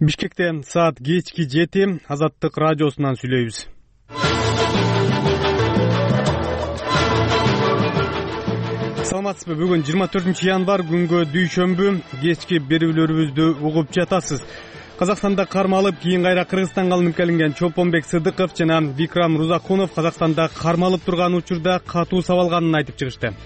Бишкектен саат кечки 7 Азаттык радиосунан сүйлөйбүз. Саламатсызбы? Бүгүн 24 январ күнгө дүйшөмбү. Кечки берүүлөрүбүздү угуп жатасыз. Казакстанда кармалып, кийин кайра Кыргызстанга алынып келинген Чолпонбек Сыдыков жана Викрам Рузакунов Казакстанда кармалып турган учурда катуу сабалганын айтып чыгышты.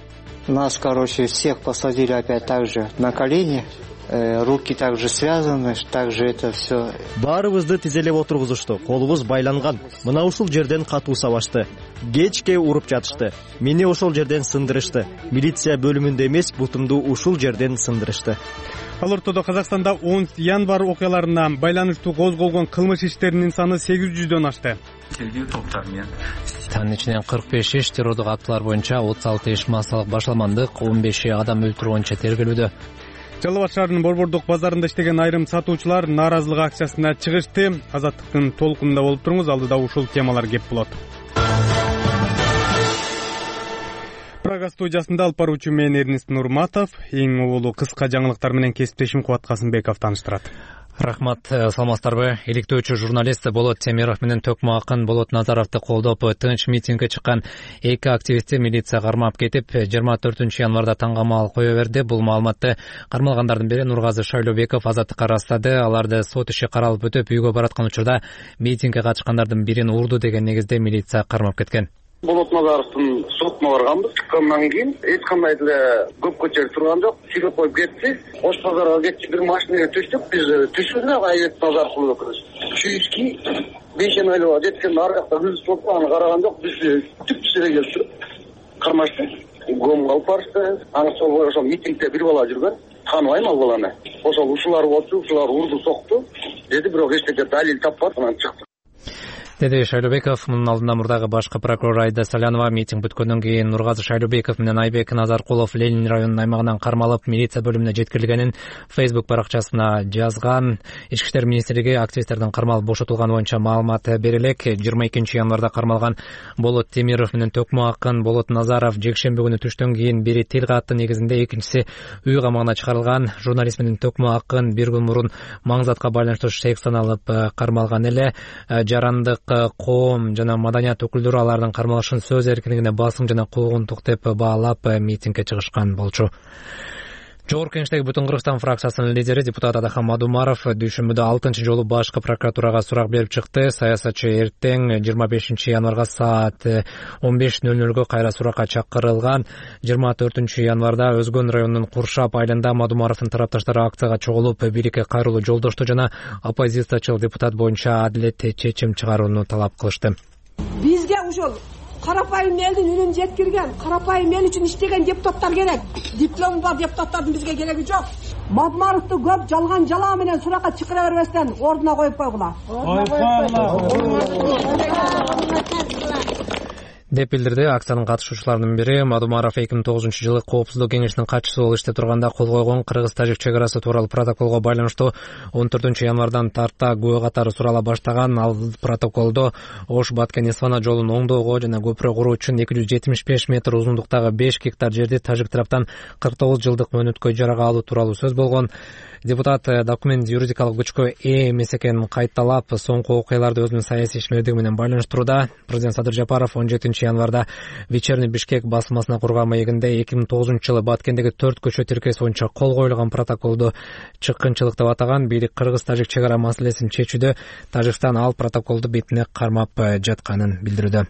Нас, всех посадили опять так же на колени. Руки также связаны, также это все. Баарыбызды тизелеп отургузушту, колубуз байланган. Мына ушул жерден катуу сабашты. Кечке уруп жатышты. Мени ошол жерден сындырышты. Милиция бөлүмүндө эмес, бутумду ушул жерден сындырышты. Ал ортодо Казакстанда 10 январ окуяларына байланыштуу козголгон кылмыш иштеринин саны 800дөн ашты. Тергөө топтары менен Танын ичинен 45 иш террордук актылар боюнча 36 иш массалык башаламандык, 15 адам өлтүрүү боюнча тергелүүдө. Жалал Абад шаарынын Борбордук базарында иштеген айрым сатуучулар нааразылык акциясына чыгышты. Азаттыктын толкунунда болуп туруңуз, алдыда ушул темалар кеп болот. Прага студиясында алып баруучу мен Эрнест Нурматов, эң улуу кыска жаңылыктар менен кесиптешим Кубат Касымбеков тааныштырат. Рахмат, саламатсыздарбы? Иликтөөчү журналист Болот Темиров менен төкмө акын Болот Назаровду колдоп тынч митингге чыккан эки активистти милиция кармап кетип, 24 январда таңгамал кое берди. Бул маалыматты кармалгандардын бири Нургазы Шайлообеков Азаттыкка ырастады. Аларды сот иши каралып өтүп, үйгө бараткан учурда митингге катышкандардын бирин урду деген негизде милиция кармап кеткен. Болот Назаровдун сотуна барганбыз. Чыккандан кийин эч кандай деле көпкө чейин турган жок. Силип коюп кетти. Ош базарга кетти, бир машинага түштүк. Биз түшүрдүк Айбек Назаровдун өкүлүбүз. Чүйски 5 айлыга жеткен ар жакта биз сотко аны караган жок. Биз түптү эле келип туруп кармашты. Гомго алып барышты. Аны ошол митингде бир бала жүргөн. Тааныбайм ал баланы. Ошол ушулар болчу, ушулар урду сокту деди, бирок эчтеке далил таппады, анан чыкты. Деди Шайлообеков. Мунун алдында мурдагы башкы прокурор Айда Салянова митинг бүткөндөн кийин Нургазы Шайлообеков менен Айбек Назаркулов Ленин районунун аймагынан кармалып, милиция бөлүмүнө жеткирилгенин Facebook баракчасына жазган. Ички иштер министрлиги активисттердин кармалып бошотулганы боюнча маалымат бере элек. 22 январда кармалган Болот Темиров менен төкмө акын Болот Назаров жекшемби күнү түштөн кийин бири тил катты негизинде, экинчиси үй камагына чыгарылган. Журналист менен төкмө акын бир күн мурун маңзатка байланыштуу шек саналып кармалган эле. Жарандык коом жана маданият өкүлдөрү алардын кармалышын сөз эркиндигине басым жана куугунтук деп баалап митингге чыгышкан болчу. Жогорку Кеңештеги Бүтүн Кыргызстан фракциясынын лидери депутат Адахан Мадумаров дүйшөмбүдө 6 жолу башкы прокуратурага сурак берип чыкты. Саясатчы эртең 25 январга саат 15:00 кайра суракка чакырылган. 24 январда Өзгөн районунун Куршап айылында Мадумаровдун тарапташтары акцияга чогулуп, бийликке кайрылуу жолдошту жана оппозициячыл депутат боюнча адилеттүү чечим чыгарууну талап кылышты. Бизге ошол карапайым элдин үнүн жеткирген, карапайым эл үчүн иштеген депутаттар керек. Диплому бар депутаттардын бизге кереги жок. Мадумаровду көп жалган жала менен суракка чакыра бербестен ордуна коюп койгула. деп билдирди. Акциянын катышуучуларынын бири Мадумаров 2009-жылы Коопсуздук кеңешинин катчысы болуп иштеп турганда кол койгон Кыргыз-Тажик чек арасы тууралуу протоколго байланыштуу 14 январдан тарта күбө катары сурала баштаган. Ал протоколдо Ош Баткен-Эсфана жолун оңдоого жана көпүрө куруу үчүн 275 метр узундуктагы 5 гектар жерди тажик тараптан 49 жылдык мөөнөткө ижарага алуу тууралуу сөз болгон. Депутат документ юридикалык күчкө ээ эмес экенин кайталап, соңку окуяларды өзүнүн саясий ишмердиги менен байланыштырууда. Президент Садыр Жапаров 17 январда Вечерний Бишкек басмасына курган маегинде 2009-жылы Баткендеги 4 көчө тиркеси боюнча кол коюлган протоколду чыккынчылык деп атаган. Бийлик Кыргыз-Тажик чек ара маселесин чечүүдө Тажикстан ал протоколду бетине кармап жатканын билдирүүдө.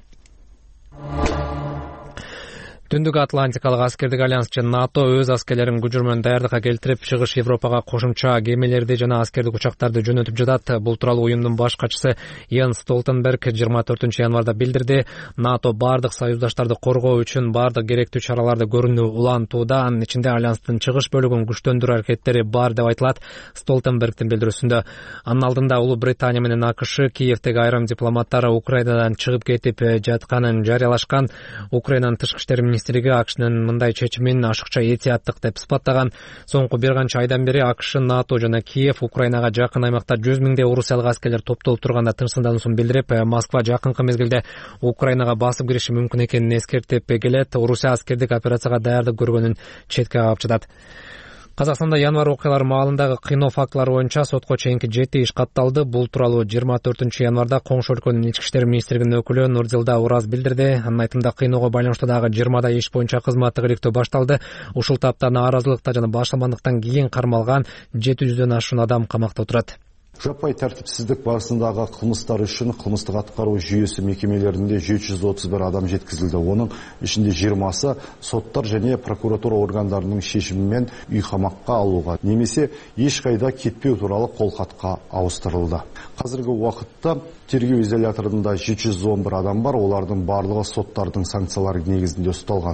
Түндүк Атлантикалык аскердик альянс жана НАТО өз аскерлерин күчүрмөн даярдыкка келтирип, Чыгыш Европага кошумча кемелерди жана аскердик учактарды жөнөтүп жатат. Бул тууралуу уюмдун баш катчысы Йенс Столтенберг 24 январда билдирди. НАТО бардык союздаштарды коргоо үчүн бардык керектүү чараларды көрүүнү улантууда. Анын ичинде альянстын чыгыш бөлүгүн күчтөндүрүү аракеттери бар деп айтылат Столтенбергдин билдирүүсүндө. Анын алдында Улуу Британия менен АКШ Киевдеги айрым дипломаттары Украинадан чыгып кетип жатканын жарыялашкан. Украинанын тышкы иштер министрлиги АКШнын мындай чечимин ашыкча этияттык деп сыпаттаган. Соңку бир канча айдан бери АКШ, НАТО жана Киев Украинага жакын аймакта 100 миңдей орусиялык аскерлер топтолуп турганда тынчсыздануусун билдирип, Москва жакынкы мезгилде Украинага басып кириши мүмкүн экенин эскертип келет. Орусия аскердик операцияга даярдык көргөнүн четке кагып жатат. Казакстанда январь окуялары маалындагы кыйноо фактылары боюнча сотко чейинки 7 иш катталды. Бул тууралуу 24 январда коңшу өлкөнүн ички иштер министрлигинин өкүлү Нурдилда Ураз билдирди. Анын айтымында кыйноого байланыштуу дагы 20 иш боюнча кызматтык иликтөө башталды. Ушул таапта нааразылыкта жана башламандыктан кийин кармалган 700дөн ашуун адам камакта отурат. Жаппай тартипсиздик барысындагы кылмыштар үчүн кылмыштык аткаруу жүйөсү мекемелеринде 731 адам жеткизилди. Онун ичинде 20сы соттор және прокуратура органдарынын шешими менен үй камакка алууга немесе эч кайда кетпөө тууралуу колхатка ауыстырылды. Азыркы убакытта тергөө изоляторунда 711 адам бар. Олардын барлыгы соттардын санкциялары негизинде укталган.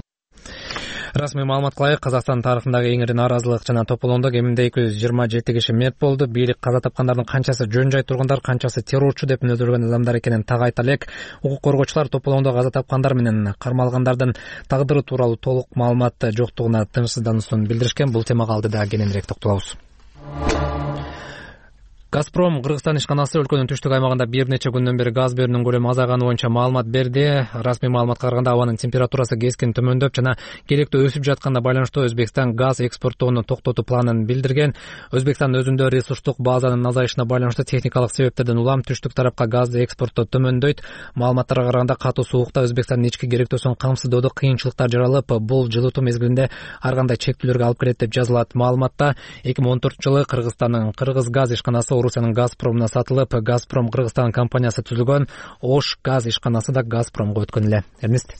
Расмий маалыматка ылайык, Казакстан тарыхындагы эң ири нааразылык жана тополондо кеминде 227 киши мерт болду. Бийлик каза тапкандардын канчасы жөн жай тургундар, канчасы террорчу деп мүнөздөлгөн адамдар экенин так айта элек. Укук коргоочулар тополондо каза тапкандар менен кармалгандардын тагдыры тууралуу толук маалымат жоктугуна тынчсыздануусун билдиришкен. Бул темага алдыда кененирээк токтолобуз. Газпром Кыргызстан ишканасы өлкөнүн түштүк аймагында бир нече күндөн бери газ берүүнүн көлөмү азайганы боюнча маалымат берди. Расмий маалыматка караганда абанын температурасы кескин төмөндөп жана келектөө өсүп жатканына байланыштуу Өзбекстан газ экспорттоону токтотуу планын билдирген. Өзбекстан өзүндө ресурстук базанын азайышына байланыштуу техникалык себептерден улам түштүк тарапка газды экспорттоо төмөндөйт. Маалыматтарга караганда катуу суукта Өзбекстандын ички керектөөсүн камсыздоодо кыйынчылыктар жаралып, бул жылытуу мезгилинде ар кандай чектөөлөргө алып келет деп жазылат. Маалыматта 2014-жылы Кыргызстандын Кыргыз газ ишканасы Орусиянын Газпромуна сатылып, Газпром Кыргызстан компаниясы түзүлгөн. Ош газ ишканасы да Газпромго өткөн эле. Эрнест.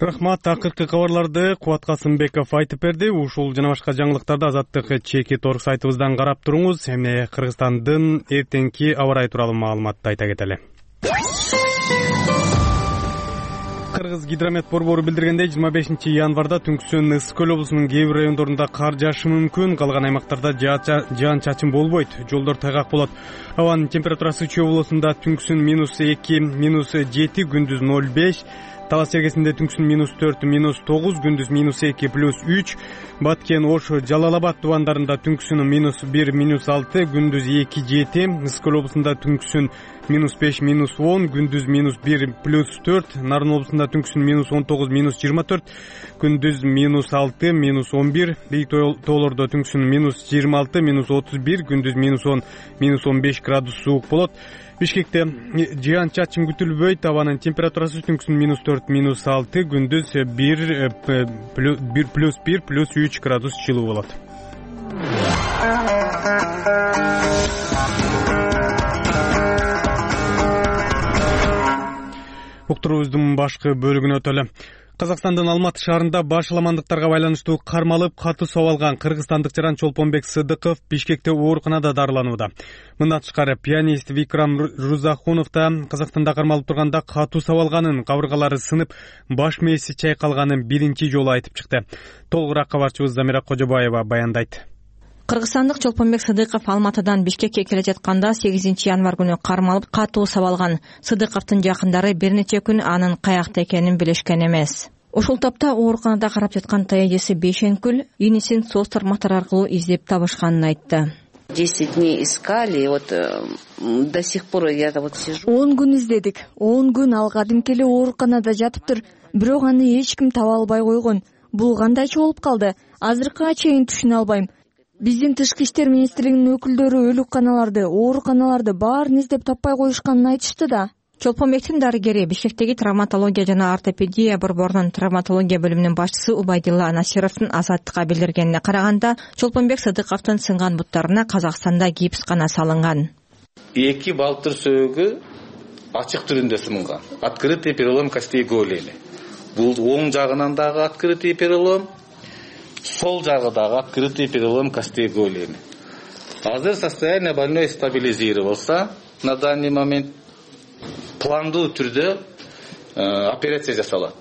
Рахмат. Акыркы кабарларды Кубат Касымбеков айтып берди. Ушул жана башка жаңылыктарды Азаттык Чекит.орг сайтыбыздан карап туруңуз. Эми Кыргызстандын эртеңки аба ырайы тууралуу маалыматты айта кетели. Кыргыз гидромет борбору билдиргендей, 25 январда түнкүсүн Ысык Көл облусунун кээ бир райондорунда кар жаашы мүмкүн. Калган аймактарда жаан чачын болбойт. Жолдор тайгак болот. Абанын температурасы Чүй облусунда түнкүсүн -2, -7, күндүз 0,5. Талас Сергесинде түнкүсүн -4, -9, күндүз -2, +3. Баткен, Ош, Жалал-Абад тубандарында түнкүсүн -1, -6, күндүз 2-7. Ысык Көл облусунда түнкүсүн -5, -10, күндүз -1, +4. Нарын облусунда түнкүсүн -19, -24, күндүз -6, -11. Бийик тоолордо түнкүсүн -26, -31, күндүз -10, -15 градус суук болот. Бишкекте жаан чачын күтүлбөйт. Абанын температурасы түнкүсүн -4, -6, күндүз 1, +3 градус жылуу болот. Уктуруубуздун башкы бөлүгүнө өтөлү. Казакстандын Алматы шаарында башаламандыктарга байланыштуу кармалып катуу сабалган кыргызстандык жаран Чолпонбек Сыдыков Бишкекте ооруканада дарыланууда. Мындан тышкары пианист Викрам Рузахунов да Казакстанда кармалып турганда катуу сабалганын, кабыргалары сынып, баш мээси чайкалганын биринчи жолу айтып чыкты. Толугураак кабарчыбыз Замира Кожобаева баяндайт. Кыргызстандык Чолпонбек Сыдыков Алматыдан Бишкекке келе жатканда 8 январь күнү кармалып катуу сабалган. Сыдыковдун жакындары бир нече күн анын каякта экенин билишкен эмес. Ушул тапта ооруканада карап жаткан таежеси Бейшенкүл инисин соц тармактары аркылуу издеп табышканын айтты. 10 дней искали, вот до сих пор я вот сижу. 10 күн издедик. 10 күн ал кадимки эле ооруканада жатыптыр. Бирок аны эч ким таба албай койгон. Бул кандайча болуп калды? Азыркыга чейин түшүнө албайм. Биздин тышкы иштер министрлигинин өкүлдөрү өлүкканаларды, ооруканаларды баарын издеп таппай коюшканын айтышты да. Чолпонбектин дарыгери Бишкектеги травматология жана ортопедия борборунун травматология бөлүмүнүн башчысы Убайдилла Насировдун Азаттыкка билдиргенине караганда, Чолпонбек Сыдыковдун сынган буттарына Казакстанда гипс гана салынган. 2 балтыр сөөгү ачык түрүндө сынган. Открытый перелом костей голени. Бул оң жагынан дагы открытый перелом, сол жагы дагы открытый перелом костей голени. Азыр состояние больной стабилизировался. На данный момент пландуу түрдө операция жасалат.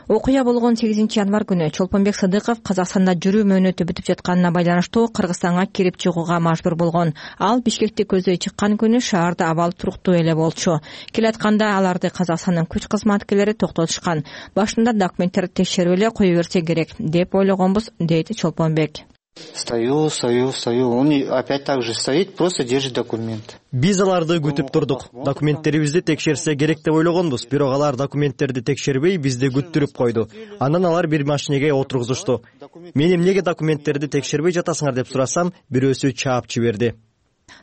Окуя болгон 8 январь күнү Чолпонбек Сыдыков Казакстанда жүрүү мөөнөтү бүтүп жатканына байланыштуу Кыргызстанга кирип чыгууга мажбур болгон. Ал Бишкекти көздөй чыккан күнү шаарда абал туруктуу эле болчу. Келатканда аларды Казакстандын күч кызматкерлери токтотушкан. Башында документтерди текшерип эле кое берсе керек деп ойлогонбуз, дейт Чолпонбек. Стою. Он опять так же стоит, просто держит документ. Биз аларды күтүп турдук. Документтерибизди текшерсе керек деп ойлогонбуз. Бирок алар документтерди текшербей бизди күттүрүп койду. Андан алар бир машинеге отургузушту. Мен эмнеге документтерди текшербей жатасыңар деп сурасам, бирөөсү чаап жиберди.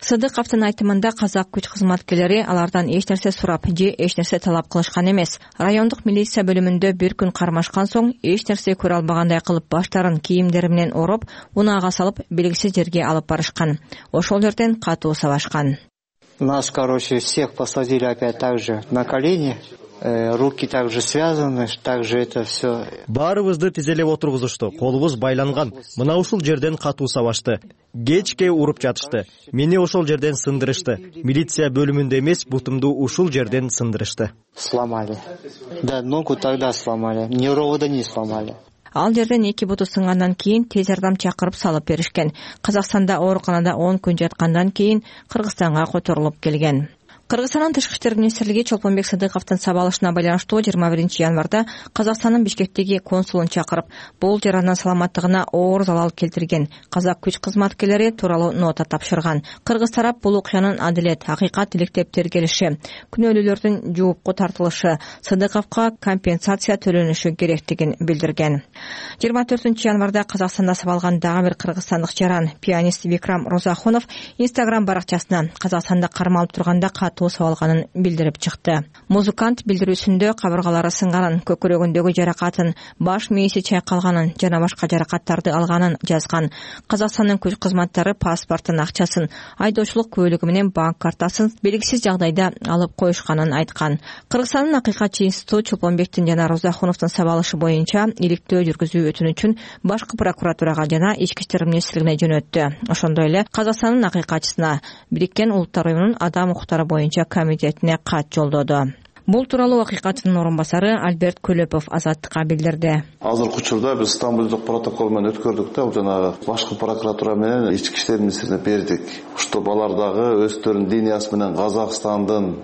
Сыдыковдун айтымында казак күч кызматкерлери алардан эч нерсе сурап же эч нерсе талап кылышкан эмес. Райондук милиция бөлүмүндө бир күн кармашкан соң эч нерсе көрө албагандай кылып баштарын кийимдери менен ороп, унаага салып белгисиз жерге алып барышкан. Ошол жерден катуу сабашкан. Нас, всех посадили опять так же на колени. Руки также связаны, также это все. Баарыбызды тизелеп отургузушту. Колубуз байланган. Мына ушул жерден катуу сабашты. Кечке уруп жатышты. Мени ошол жерден сындырышты. Милиция бөлүмүндө эмес, бутумду ушул жерден сындырышты. Сломали. Да, ногу тогда сломали. Невровода не сломали. Ал жерден 2 буту сынгандан кийин тез жардам чакырып салып беришкен. Казакстанда ооруканада 10 күн жаткандан кийин Кыргызстанга которулуп келген. Кыргызстандын тышкы иштер министрлиги Чолпонбек Сыдыковдун сабалышына байланыштуу 21 январда Казакстандын Бишкектеги консулун чакырып, бул жаранын саламаттыгына оор залал келтирген казак күч кызматкерлери тууралуу нота тапшырган. Кыргыз тарап бул окуянын адилет, акыйкат иликтеп тергелиши, күнөөлүүлөрдүн жоопко тартылышы, Сыдыковго компенсация төлөнүшү керектигин билдирген. 24 январда Казакстанда сабалган дагы бир кыргызстандык жаран, пианист Викрам Розахонов Instagram баракчасына Казакстанда кармалып турганда сабалганын билдирип чыкты. Музыкант билдирүүсүндө кабыргалары сынганын, көкүрөгүндөгү жаракатын, баш мээси чайкалганын жана башка жаракаттарды алганын жазган. Казакстандын күч кызматтары паспортун, акчасын, айдоочулук куөлүгү менен банк картасын белгисиз жагдайда алып коюшканын айткан. Кыргызстандын акыйкатчы институту Чолпонбектин жана Розахоновдун сабалышы боюнча иликтөө жүргүзүү өтүнүчүн башкы прокуратурага жана ички иштер министрлигине жөнөттү. Ошондой эле Казакстандын акыйкатчысына Бириккен Улуттар Уюмунун адам укуктары боюнча комитетине кат жолдоду. Бул тууралуу акыйкаттын орун басары Альберт Көлөпов Азаттыкка билдирди. Азыркы учурда биз Стамбулдук протокол менен өткөрдүк да, жанагы башкы прокуратура менен ички иштер министрлигине бердик. Ушул балар дагы өздөрүнүн линиясы менен Казакстандын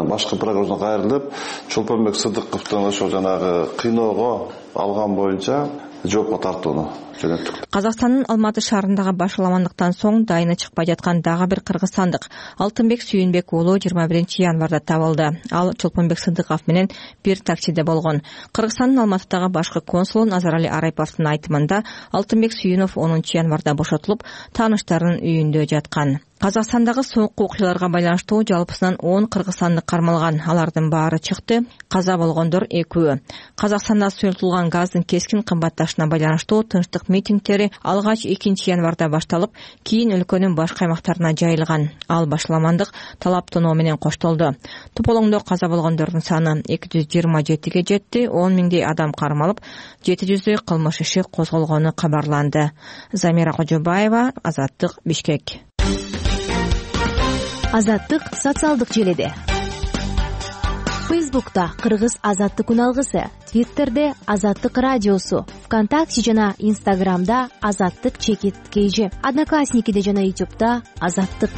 башкы прокуратурасына кайрылып, Чолпонбек Сыдыковдун ошол жанагы кыйноого алган боюнча жоопко тартууну жөнөттүк. Казакстандын Алматы шаарындагы баш аламандыктан соң дайыны чыкпай жаткан дагы бир кыргызстандык Алтынбек Сүйүнбек уулу 21 январда табылды. Ал Чолпонбек Сыдыков менен бир таксиде болгон. Кыргызстандын Алматыдагы башкы консулу Назарали Арайповдун айтымында Алтынбек Сүйүнов 10 январда бошотулуп, тааныштарынын үйүндө жаткан. Казакстандагы соңку окуяларга байланыштуу жалпысынан 10 кыргызстандык кармалган. Алардын баары чыкты. Каза болгондор 2. Казакстанда сұйылтылган газдын кескин кымбатташына байланыштуу тынчтык митингдери алгач 2 январда башталып, кийин өлкөнүн башка аймактарына жайылган. Ал башаламандык талап тоноо менен коштолду. Тополоңдо каза болгондордун саны 227ге жетти. 10 миңдей адам кармалып, 700 кылмыш иши козголгону кабарланды. Замира Кожобаева, Азаттык, Бишкек. Азаттык социалдык желеде. Фейсбукта Кыргыз Азаттык үналгысы, Твиттерде Азаттык радиосу, ВКонтакте жана Инстаграмда Азаттык _KG, Одноклассникиде жана Ютубта Азаттык.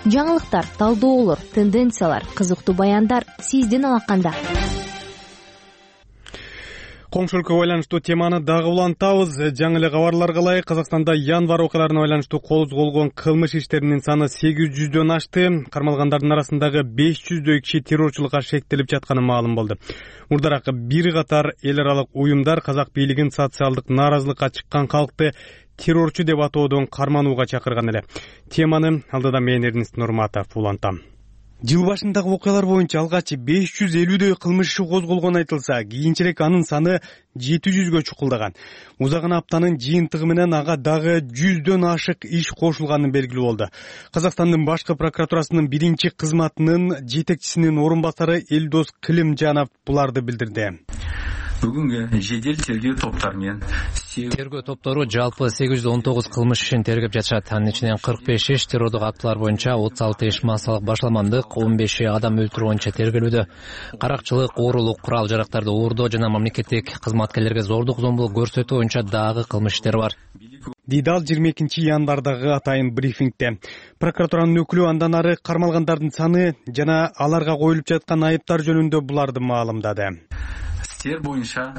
Жаңылыктар, талдоолор, тенденциялар, кызыктуу баяндар сиздин алаканда. Коңшу өлкөгө байланыштуу теманы дагы улантабыз. Жаңы эле кабарларга ылайык, Казакстанда январь окуяларына байланыштуу козголгон кылмыш иштеринин саны 800дөн ашты. Кармалгандардын арасындагы 500дөй киши террорчулукка шектелип жатканы маалым болду. Мурдараак бир катар эл аралык уюмдар казак бийлигин социалдык нааразылыкка чыккан калкты террорчу деп атоодон карманууга чакырган эле. Теманы алдыда мен Эрнест Нурматов улантам. Жыл башындагы окуялар боюнча алгач 550дөй кылмыш иши козголгон айтылса, кийинчерээк анын саны 700гө чукулдаган. Узаган аптанын жыйынтыгы менен ага дагы 100дөн ашык иш кошулганы белгилүү болду. Казакстандын башкы прокуратурасынын биринчи кызматынын жетекчисинин орун басары Элдос Кылымжанов буларды билдирди. Бүгүнгө жедел тергөө топтары менен тергөө топтору жалпы 819 кылмыш ишин тергеп жатышат. Анын ичинен 45 иш террордук актылар боюнча, 36 иш массалык башаламандык, 15 адам өлтүрүү боюнча тергелүүдө. Каракчылык, оорулук, курал жарактарды оордоо жана мамлекеттик кызматкерлерге зордук зомбулук көрсөтүү боюнча дагы кылмыш иштери бар. Дидал 22 январдагы атайын брифингде. Прокуратуранын өкүлү андан ары кармалгандардын саны жана аларга коюлуп жаткан айыптар жөнүндө буларды маалымдады. иштер боюнча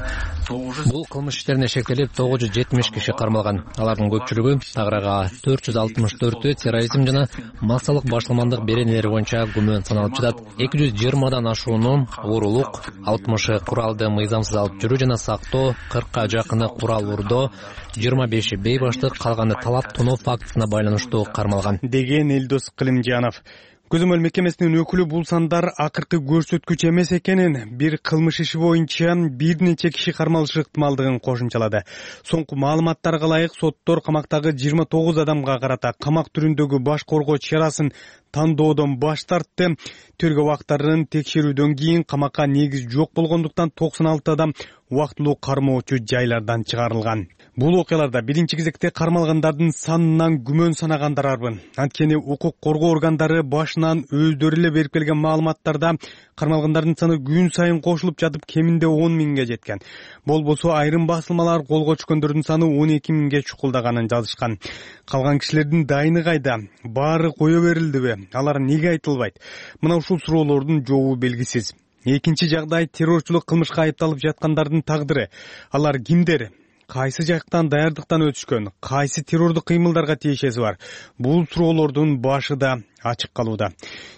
900. Бул кылмыш иштерине шектелип 970 киши кармалган. Алардын көпчүлүгү аграга 464 терроризм жана массалык башламандык беренелери боюнча күмөн саналып жатат. 220дан ашууну уурулук, 60 куралды мыйзамсыз алып жүрүү жана сактоо, 40ка жакыны курал урдоо, 25 бейбаштык, калганы талап тоноо фактысына байланыштуу кармалган деген Элдос Кылымжанов. Көзөмөл мекемесинин өкүлү бул сандар акыркы көрсөткүч эмес экенин, бир кылмыш иши боюнча бир нече киши кармалышы ыктымалдыгын кошумчалады. Соңку маалыматтарга ылайык соттор камактагы 29 адамга карата камак түрүндөгү баш коргоо чарасын тандоодон баш тартты. Тергөө убактарын текшерүүдөн кийин камакка негиз жок болгондуктан 96 адам убактылуу кармоочу жайлардан чыгарылган. Бул окуяларда биринчи кезекте кармалгандардын санынан күмөн санагандар арбын. Анткени укук коргоо органдары башынан өздөрү эле берип келген маалыматтарда кармалгандардын саны күн сайын кошулуп жатып кеминде 10 миңге жеткен. Болбосо айрым басылмалар колго түшкөндөрдүн саны 12 миңге чукулдаганын жазышкан. Калган кишилердин дайыны кайда? Баары кое берилдиби? Алар неге айтылбайт? Мына ушул суроолордун жообу белгисиз. Экинчи жагдай террорчулук кылмышка айыпталып жаткандардын тагдыры. Алар кимдер? Кайсы жактан даярдыктан өтүшкөн? Кайсы террордук кыймылдарга тиешеси бар? Бул суроолордун башы да ачык калууда.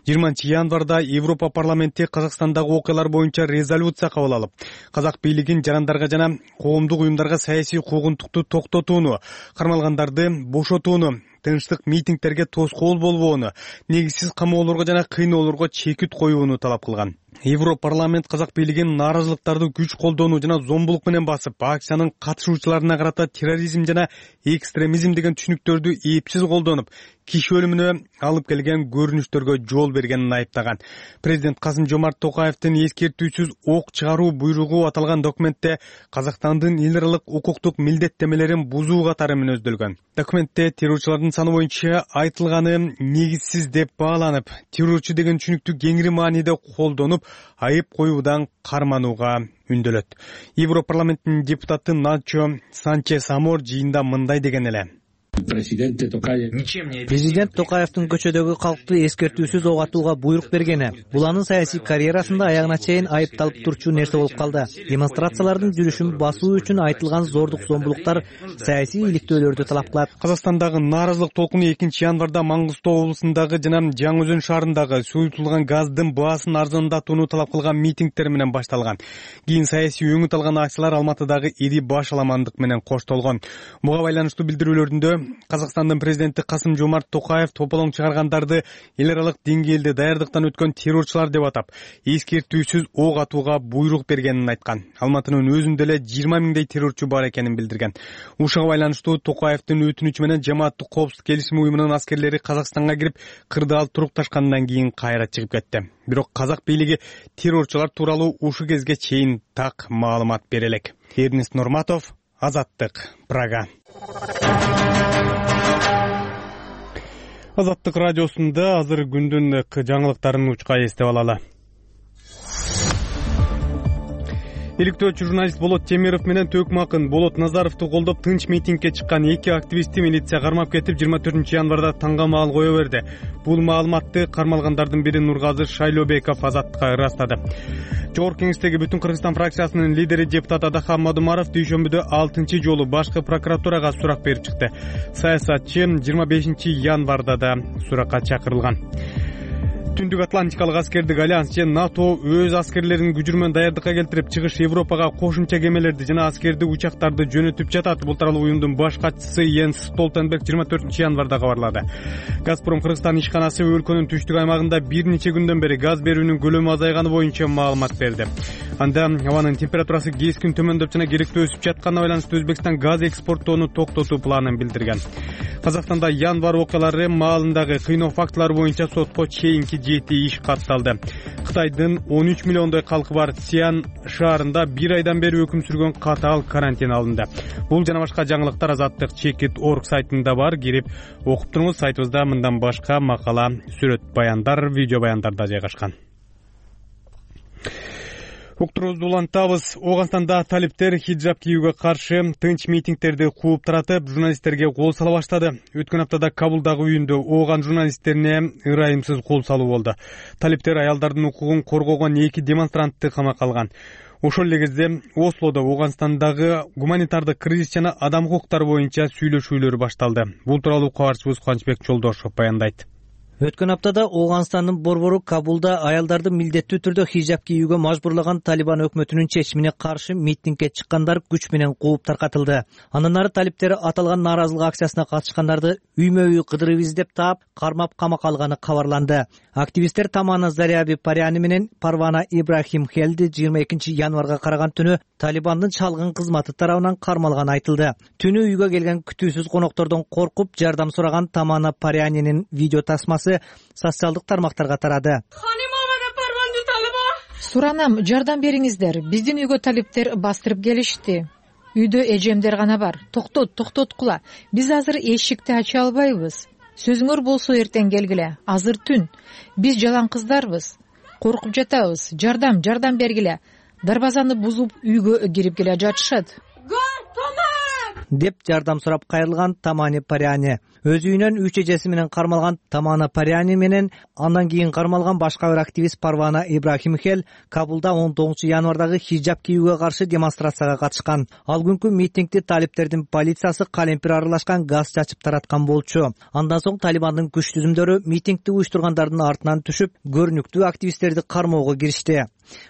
20-январда Европа парламенти Казакстандагы окуялар боюнча резолюция кабыл алып, казак бийлигин жарандарга жана коомдук уюмдарга саясий куугунтукту токтотууну, кармалгандарды бошотууну, тынчтык митингдерге тоскоол болбоону, негизсиз камоолорго жана кыйноолорго чекит коюуну талап кылган. Европарламент казак бийлигин нааразылыктарды күч колдоону жана зомбулук менен басып, акциянын катышуучуларына карата терроризм жана экстремизм деген түшүнүктөрдү эпсиз колдонуп, киши өлүмүнө алып келген көрүнүштөргө жол бергенин айыптаган. Президент Касым-Жомарт Токаевдин эскертүүсүз ок чыгаруу буйругу аталган документте Казакстандын эл аралык укуктук милдеттемелерин бузуу катары мүнөздөлгөн. Документте террорчулардын саны боюнча айтылганы негизсиз деп бааланып, террорчу деген түшүнүктү кеңири мааниде колдонуп, айып коюудан карманууга үндөлөт. Европарламенттин депутаты Начо Санчес Амор жыйында мындай деген эле. Президент Токаевдин көчөдөгү калкты эскертүүсүз ок атууга буйрук бергени бул анын саясий карьерасында аягына чейин айыпталып турчу нерсе болуп калды. Демонстрациялардын жүрүшүн басуу үчүн айтылган зордук зомбулуктар саясий иликтөөлөрдү талап кылат. Казакстандагы нааразылык толкуну 2-январда Маңгыстоо облусундагы жана Жаңы Өзөн шаарындагы суютулган газдын баасын арзандатууну талап кылган митингдер менен башталган. Кийин саясий өңүт алган акциялар Алматыдагы ири баш аламандык менен коштолгон. Буга байланыштуу билдирүүлөрүндө Казакстандын президенти Касым-Жомарт Токаев тополоң чыгаргандарды эл аралык деңгээлде даярдыктан өткөн террорчулар деп атап, эскертүүсүз ок атууга буйрук бергенин айткан. Алматынын өзүндө эле 20 миңдей террорчу бар экенин билдирген. Ушуга байланыштуу Токаевдин өтүнүчү менен Жамааттык коопсуздук келишими уюмунун аскерлери Казакстанга кирип, кырдаал турукташкандан кийин кайра чыгып кетти. Бирок казак бийлиги террорчулар тууралуу ушу кезге чейин так маалымат бере элек. Эрнест Нурматов, Азаттык, Прага. Азаттык радиосунда азыр күндүн жаңылыктарын учка эстеп алалы. Иликтөөчү журналист Болот Темиров менен Төкмө акын Болот Назаровду колдоп тынч митингге чыккан эки активистти милиция кармап кетип 24-январда таңга маал кое берди. Бул маалыматты кармалгандардын бири Нургазы Шайлобеков Азаттыкка ырастады. Жогорку кеңештеги Бүтүн Кыргызстан фракциясынын лидери депутат Адахан Мадумаров дүйшөмбүдө 6-жолу башкы прокуратурага сурак берип чыкты. Саясатчы 25-январда да суракка чакырылган. Түндүк Атлантикалык аскердик альянс же НАТО өз аскерлерин күчүрмөн даярдыкка келтирип, чыгыш Европага кошумча кемелерди жана аскерди учактарды жөнөтүп жатат. Бул тууралуу уюмдун баш катчысы Йенс Столтенберг 24-январда кабарлады. Газпром Кыргызстан ишканасы өлкөнүн түштүк аймагында бир нече күндөн бери газ берүүнүн көлөмү азайганы боюнча маалымат берди. Анда абанын температурасы кескин төмөндөп жана керектөө өсүп жатканына байланыштуу Өзбекстан газ экспорттоону токтотуу планын билдирген. Казакстанда январь окуялары маалындагы кыйноо фактылары боюнча сотко чейинки жети иш катталды. Кытайдын 13 миллиондой калкы бар Сиан шаарында бир айдан бери өкүм сүргөн катаал карантин алынды. Бул жана башка жаңылыктар Азаттык Чекит.org сайтында бар. Кирип окуп туруңуз. Сайтыбызда мындан башка макала, сүрөт баяндар, видео баяндар да жайгашкан. Уктурубузду улантабыз. Ооганстанда талиптер хиджаб кийүүгө каршы тынч митингдерди кууп таратып, журналисттерге кол сала баштады. Өткөн аптада Кабулдагы үйүндө ооган журналисттерине ырайымсыз кол салуу болду. Талиптер аялдардын укугун коргогон эки демонстрантты камакка алган. Ошол эле кезде Ослодо Ооганстандагы гуманитардык кризис жана адам укуктары боюнча сүйлөшүүлөр башталды. Бул тууралуу кабарчыбыз Кубанычбек Жолдошов баяндайт. Өткөн аптада Ооганстандын борбору Кабулда аялдарды милдеттүү түрдө хижап кийүүгө мажбурлаган Талибан өкмөтүнүн чечимине каршы митингге чыккандар күч менен кууп таркатылды. Андан ары талиптер аталган нааразылык акциясына катышкандарды үймө-үй кыдырып издеп таап, кармап камакка алганы кабарланды. Активисттер Тамана Заряби Паряни менен Парвана Ибрахим Хелди 22 январга караган түнү Талибандын чалгын кызматы тарабынан кармалганы айтылды. Түнү үйгө келген күтүүсүз коноктордон коркуп жардам сураган Тамана Парянинин видео тасмасы социалдык тармактарга тарады. Суранам, жардам бериңиздер. Биздин үйгө талиптер бастырып келишти. Үйдө эжемдер гана бар. Токтоткула. Биз азыр эшикти ача албайбыз. Сөзүңөр болсо эртең келгиле. Азыр түн. Биз жалаң кыздарбыз. Коркуп жатабыз. Жардам бергиле. Дарбазаны бузуп үйгө кирип келе жатышат. Деп жардам сурап кайрылган Тамани Паряни. Өз үйүнөн 3 эжеси менен кармалган Тамана Паряни менен андан кийин кармалган башка бир активист Парвана Ибрахим Хел Кабулда 19 январдагы хижап кийүүгө каршы демонстрацияга катышкан. Ал күнкү митингди талиптердин полициясы калемпир аралашкан газ чачып тараткан болчу. Андан соң Талибандын күч түзүмдөрү митингди уюштургандардын артынан түшүп, көрүнүктүү активисттерди кармоого киришти.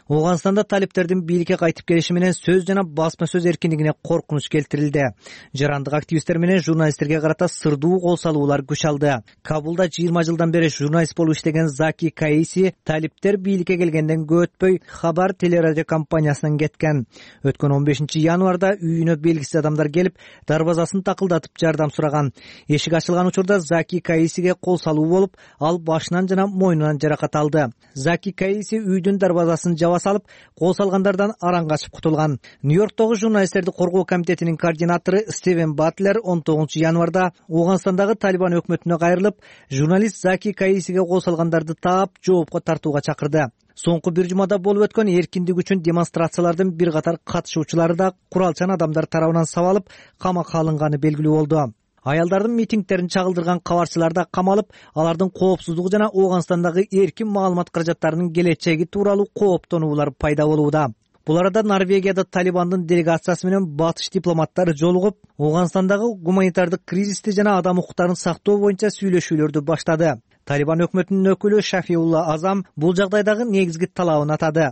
Ооганстанда талиптердин бийликке кайтып келиши менен сөз жана басма сөз эркиндигине коркунуч келтирилди. Жарандык активисттер менен журналисттерге карата сырдуу кол салуулар күч алды. Кабулда 20 жылдан бери журналист болуп иштеген Заки Каиси талиптер бийликке келгенден көп өтпөй Хабар телерадио компаниясынан кеткен. Өткөн 15 январда үйүнө белгисиз адамдар келип, дарбазасын такылдатып жардам сураган. Эшик ачылган учурда Заки Каисиге кол салуу болуп, ал башынан жана мойнунан жаракат алды. Заки Каиси үйдүн дарбазасын жаба салып, кол салгандардан араң качып кутулган. Нью-Йорктогу журналисттерди коргоо комитетинин координатору Стивен Батлер 19 январда Ооганстандагы Талибан өкмөтүнө кайрылып, журналист Заки Каисиге кол салгандарды таап, жоопко тартууга чакырды. Соңку бир жумада болуп өткөн эркиндик үчүн демонстрациялардын бир катар катышуучулары да куралчан адамдар тарабынан сабалып, камакка алынганы белгилүү болду. Аялдардын митингтерин чагылдырган кабарчылар да камалып, алардын коопсуздугу жана Ооганстандагы эркин маалымат каражаттарынын келечеги тууралуу кооптонуулар пайда болууда. Бул арада Норвегияда Талибандын делегациясы менен батыш дипломаттары жолугуп, Ооганстандагы гуманитардык кризисти жана адам укуктарын сактоо боюнча сүйлөшүүлөрдү баштады. Талибан өкмөтүнүн өкүлү Шафиулла Азам бул жагдайдагы негизги талабын атады.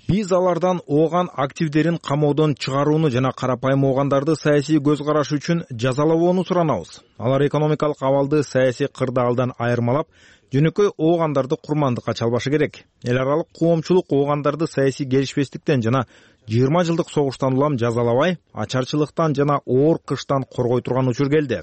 Биз алардан ооган активдерин камоодон чыгарууну жана карапайым оогандарды саясий көз караш үчүн жазалабоону суранабыз. Алар экономикалык абалды саясий кырдаалдан айырмалап, жөнөкөй оогандарды курмандыкка чалбашы керек. Эл аралык коомчулук оогандарды саясий келишпестиктен жана 20 жылдык согуштан улам жазалабай, ачарчылыктан жана оор кыштан коргой турган учур келди.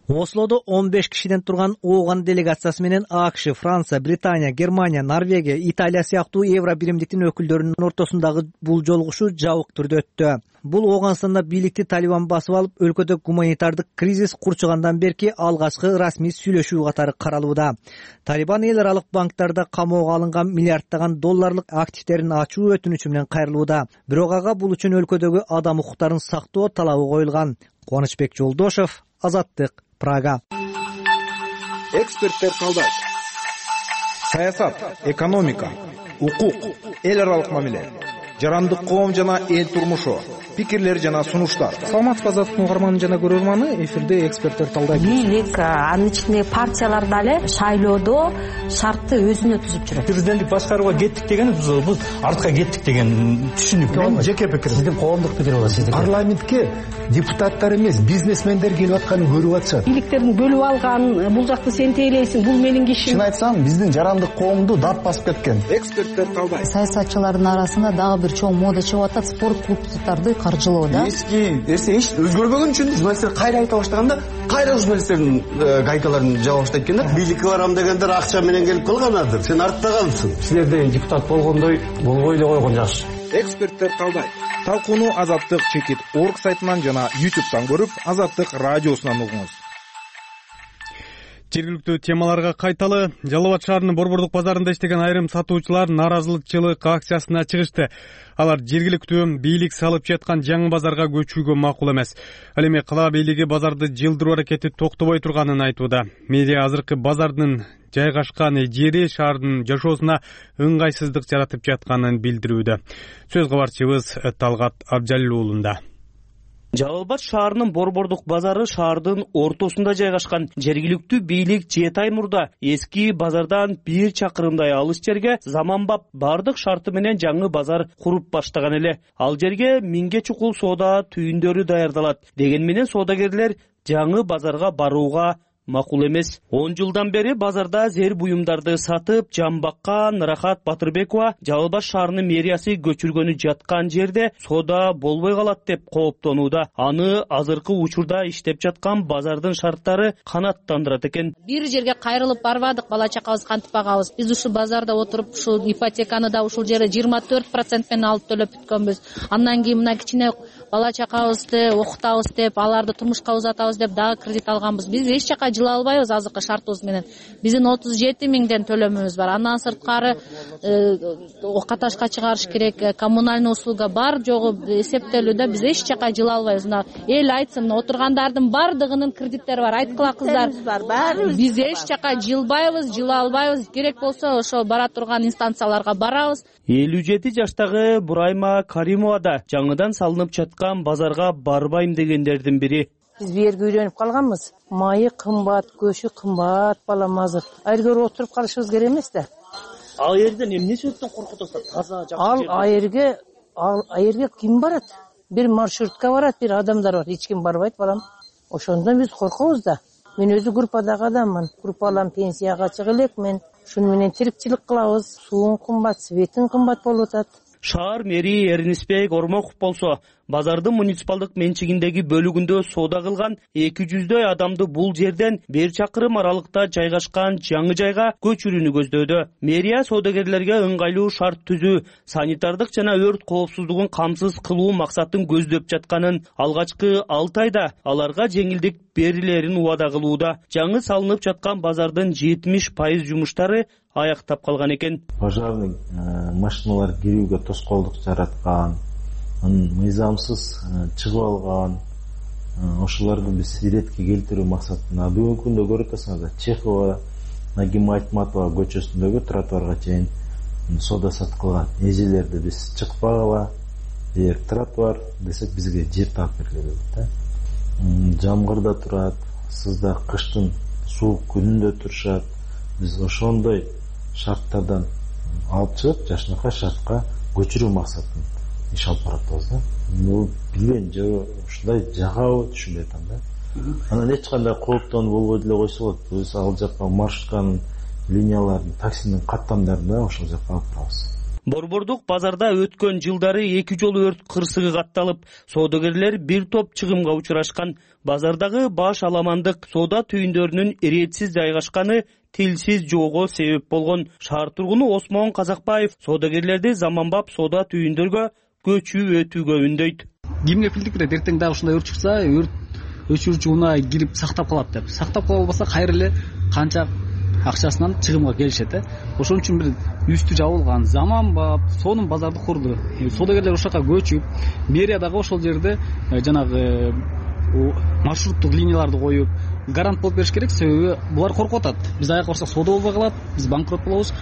Ослодо 15 кишиден турган ооган делегациясы менен АКШ, Франция, Британия, Германия, Норвегия, Италия сыяктуу Евро биримдиктин өкүлдөрүнүн ортосундагы бул жолугушуу жабык түрдө өттү. Бул Ооганстанда бийликти Талибан басып алып, өлкөдө гуманитардык кризис курчугандан берки алгачкы расмий сүйлөшүү катары каралууда. Талибан эл аралык банктарда камоого алынган миллиарддаган долларлык активтерин ачуу өтүнүчү менен кайрылууда. Бирок ага бул үчүн өлкөдөгү адам укуктарын сактоо талабы коюлган. Кубанычбек Жолдошов, Азаттык, Прага. Эксперттер талдайт. Саясат, экономика, укук, эл аралык мамиле, жарандык коом жана эл турмушу, пикирлер жана сунуштар. Саламатсызбы Азаттыктын угарманы жана көрөрманы, эфирде эксперттер талдайт. Бийлик, анын ичинде партиялар дагы шайлоодо шартты өзүнө түзүп жүрөт. Президенттик башкарууга кеттик деген биз артка кеттик деген түшүнүк. Мен жеке пикирим. Сиздин коомдук пикир болот сиздики. Парламентке депутаттар эмес, бизнесмендер келип атканын көрүп атышат. Бийликтерин бөлүп алган, бул жакты сен тейлейсиң, бул менин кишим. Чын айтсам, биздин жарандык коомду дат басып кеткен. Эксперттер талдайт. Саясатчылардын арасында дагы бир чоң мода чыгып атат, спорт клубдарды каржылоо да. Эски эч өзгөрбөгөн үчүн журналисттер кайра айта баштаганда, кайра журналисттердин гайкаларын жаба баштайт экен да. Бийликке барам дегендер акча менен келип калганадыр. Сен артта калыпсың. Силерде депутат болгондой болбой эле койгон жакшы. Эксперттер талдайт. Талкууну Азаттык Чекит.org сайтынан жана YouTube'дан көрүп, Азаттык радиосунан угуңуз. Жергиликтүү темаларга кайталы. Жалал Абад шаарынын Борбордук базарында иштеген айрым сатуучулар нааразычылык акциясына чыгышты. Алар жергиликтүү бийлик салып жаткан жаңы базарга көчүүгө макул эмес. Ал эми кала бийлиги базарды жылдыруу аракети токтобой турганын айтууда. Мэрия азыркы базардын жайгашкан жери шаардын жашоосуна ыңгайсыздык жаратып жатканын билдирүүдө. Сөз кабарчыбыз Талгат Абжалил уулунда. Жалал Абад шаарынын Борбордук базары шаардын ортосунда жайгашкан. Жергиликтүү бийлик 7 ай мурда эски базардан 1 чакырымдай алыс жерге заманбап бардык шарты менен жаңы базар куруп баштаган эле. Ал жерге 1000 чукул соода түйүндөрү даярдалат. Деген менен соодагерлер жаңы базарга барууга макул эмес. 10 жылдан бери базарда зер буюмдарды сатып, жан баккан Рахат Батырбекова Жалал Абад шаарынын мэриясы көчүргөнү жаткан жерде соода болбой калат деп кооптонууда. Аны азыркы учурда иштеп жаткан базардын шарттары канааттандырат экен. Бир жерге кайрылып барбадык, бала чакабыз кантип багабыз. Биз ушул базарда отуруп, ушул ипотеканы да ушул жерде 24% менен алып төлөп бүткөнбүз. Андан кийин мына кичине бала чакабызды окутабыз деп, аларды турмушка узатабыз деп дагы кредит алганбыз. Биз эч жака жыла албайбыз азыркы шартыбыз менен. Биздин 37 миңден төлөмүбүз бар. Андан сырткары каташка чыгарыш керек, коммунальный услуга бар жогу эсептелүүдө биз эч жака жыла албайбыз. Эл айтсын, отургандардын бардыгынын кредиттери бар. Айткыла кыздар, биз эч жака жылбайбыз, жыла албайбыз. Керек болсо ошо бара турган инстанцияларга барабыз. 57 жаштагы Бурайма Каримова да жаңыдан салынып жаткан базарга барбайм дегендердин бири. Биз бу жерге үйрөнүп калганбыз. Майы кымбат, көчү кымбат, балам азыр. Айргөр отуруп калышыбыз керек эмес да. Ал жерден эмне себептен коркуп атасыздар? Таза жакшы. Айрге ким барат? Бир маршрутка барат, бир адамдар бар. Эч ким барбайт, балам. Ошондон биз коркобуз да. Мен өзү группадагы адаммын. Группалам пенсияга чыга элек, мен шуну менен тирикчилик кылабыз. Суун кымбат, светин кымбат болуп атат. Шаар мэри Эрнисбек Ормоков болсо, базардын муниципалдык менчигиндеги бөлүгүндө соода кылган 200дөй адамды бул жерден 1 чакырым аралыкта жайгашкан жаңы жайга көчүрүүнү көздөдө. Мэрия соодагерлерге ыңгайлуу шарт түзүү, санитардык жана өрт коопсуздугун камсыз кылуу максатын көздөп жатканын, алгачкы 6 айда аларга жеңилдик берилерин убада кылууда. Жаңы салынып жаткан базардын 70% жумуштары аяктап калган экен. Пожарный машиналар кирүүгө тоскоолдук жараткан, мыйзамсыз чыгып алган, ошолорду биз иретке келтирүү максатында бүгүнкү күндө көрүп атасыңар, Чехова, Нагима Айтматова көчөсүндөгү тротуарга чейин соода саткылган эжелерди биз чыкпагыла, эгер тротуар десек бизге жер таап бергиле да. Жамгырда турат, сызда кыштын суук күнүндө турушат. Биз ошондой шарттардан алып чыгып, жашынакай шартка көчүрүү максатын иш алып баратабыз да. Бул билбейм, же ушундай жагабы түшүнбөй атам да. Анан эч кандай кооптонуу болбой деле койсо болот. Биз ал жакка маршрутканын линияларын, таксинин каттамдарын ошол жакка алып барабыз. Борбордук базарда өткөн жылдары 2 жолу өрт кырсыгы катталып, соодагерлер бир топ чыгымга учурашкан. Базардагы баш аламандык соода түйүндөрүнүн иретсиз жайгашканы тилсиз жоого себеп болгон. Шаар тургуну Осмон Казакбаев соодагерлерди заманбап соода түйүндөргө көчүү өтүүгө үндөйт. Кимге билдикирет, эртең дагы ушундай өрт чыкса, өрт өчүрүүчү унаа кирип сактап калат деп. Сактап кала албаса кайра эле канча акчасынан чыгымга келишет. Ошон үчүн бир үстү жабылган заманбап сонун базарды курду. Соодагерлер ошол жака көчүп, мэрия дагы ошол жерде жанагы маршруттук линияларды коюп, гарант болуп бериш керек. Себеби булар коркуп атат. Биз аяк барсак соода болбой калат, биз банкрот болобуз.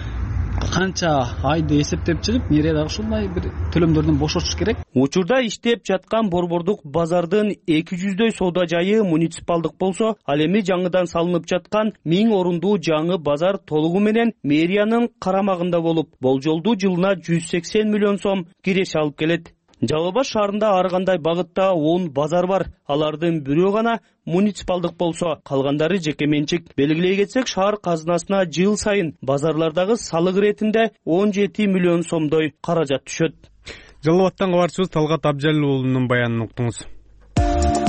Канча айды эсептеп чыгып, мэрия дагы ушундай бир төлөмдөрдөн бошотуш керек. Учурда иштеп жаткан Борбордук базардын 200дөй соода жайы муниципалдык болсо, ал эми жаңыдан салынып жаткан 1000 орундуу жаңы базар толугу менен мэриянын карамагында болуп, болжолдуу жылына 180 миллион сом киреше алып келет. Жалал Абад шаарында ар кандай багытта 10 базар бар. Алардын бирөө гана муниципалдык болсо, калгандары жеке менчик. Белгилей кетсек, шаар казынасына жыл сайын базарлардагы салык иретинде 17 миллион сомдой каражат түшөт. Жалал Абадтан кабарчыбыз Талгат Абжалил уулунун баянын уктуңуз.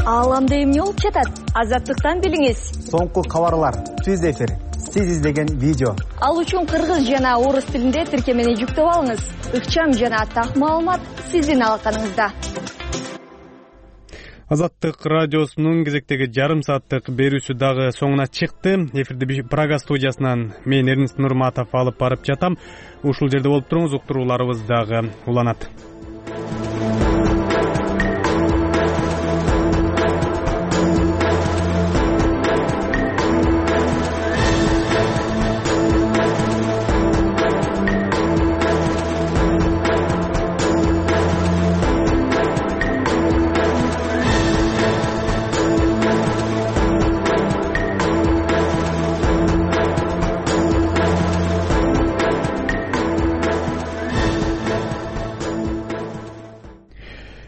Ааламда эмне болуп жатат? Азаттыктан билиңиз. Соңку кабарлар, түз эфир, сиз издеген видео. Ал үчүн кыргыз жана орус тилинде тиркемени жүктөп алыңыз. Ыкчам жана так маалымат сиздин алаканыңызда. Азаттык радиосунун кезектеги жарым сааттык берүүсү дагы соңуна чыкты. Эфирди Прага студиясынан мен Эрнест Нурматов алып барып жатам. Ушул жерде болуп туруңуз, уктурууларыбыз дагы уланат.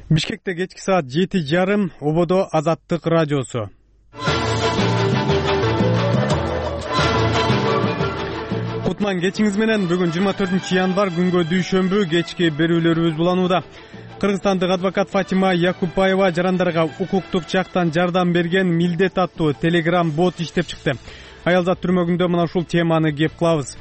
Бишкекте кечки саат 7:30, ободо Азаттык радиосу. Кутман кечиңиз менен. Бүгүн 24 январь күнгө дүйшөмбү кечки берүүлөрүбүз уланууда. Кыргызстандык адвокат Фатима Якупбаева жарандарга укуктук жактан жардам берген Милдет аттуу телеграм бот иштеп чыкты. Аялзат түрмөгүндө мына ушул теманы кеп кылабыз.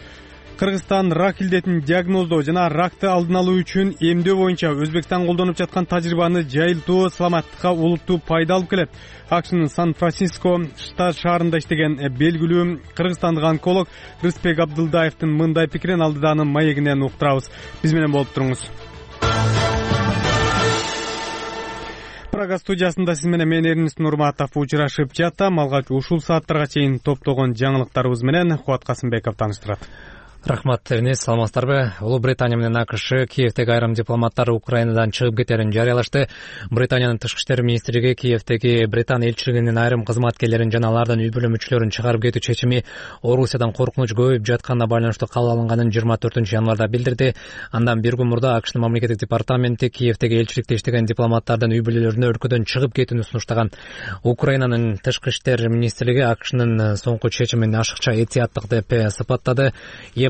Кыргызстан рак илдетин диагноздоо жана ракты алдын алуу үчүн эмдөө боюнча Өзбекстан колдонуп жаткан тажрыйбаны жайылтуу саламаттыкка улуттуу пайда алып келет. АКШнын Сан-Франциско шаарында иштеген белгилүү кыргызстандык онколог Рыспек Абдылдаевдин мындай пикирин алдыданын маегинен уктурабыз. Биз менен болуп туруңуз. Прага студиясында сиз менен мен Эрнест Нурматов учурашып жатам. Алгач ушул сааттарга чейин топтогон жаңылыктарыбыз менен Кубат Касымбеков тааныштырат. Рахмат, Эрнест, саламатсыздарбы? Улуу Британия менен АКШ Киевдеги айрым дипломаттар Украинадан чыгып кетерин жарыялашты. Британиянын тышкы иштер министрлиги Киевдеги Британ элчилигинин айрым кызматкерлерин жана алардын үй бүлө мүчөлөрүн чыгарып кетүү чечими Орусиядан коркунуч көбөйүп жатканына байланыштуу кабыл алынганын 24 январда билдирди. Андан бир күн мурда АКШнын мамлекеттик департаменти Киевдеги элчиликте иштеген дипломаттардын үй бүлөлөрүнө өлкөдөн чыгып кетүүнү сунуштаган. Украинанын тышкы иштер министрлиги АКШнын соңку чечимин ашыкча этияттык деп сыпаттады.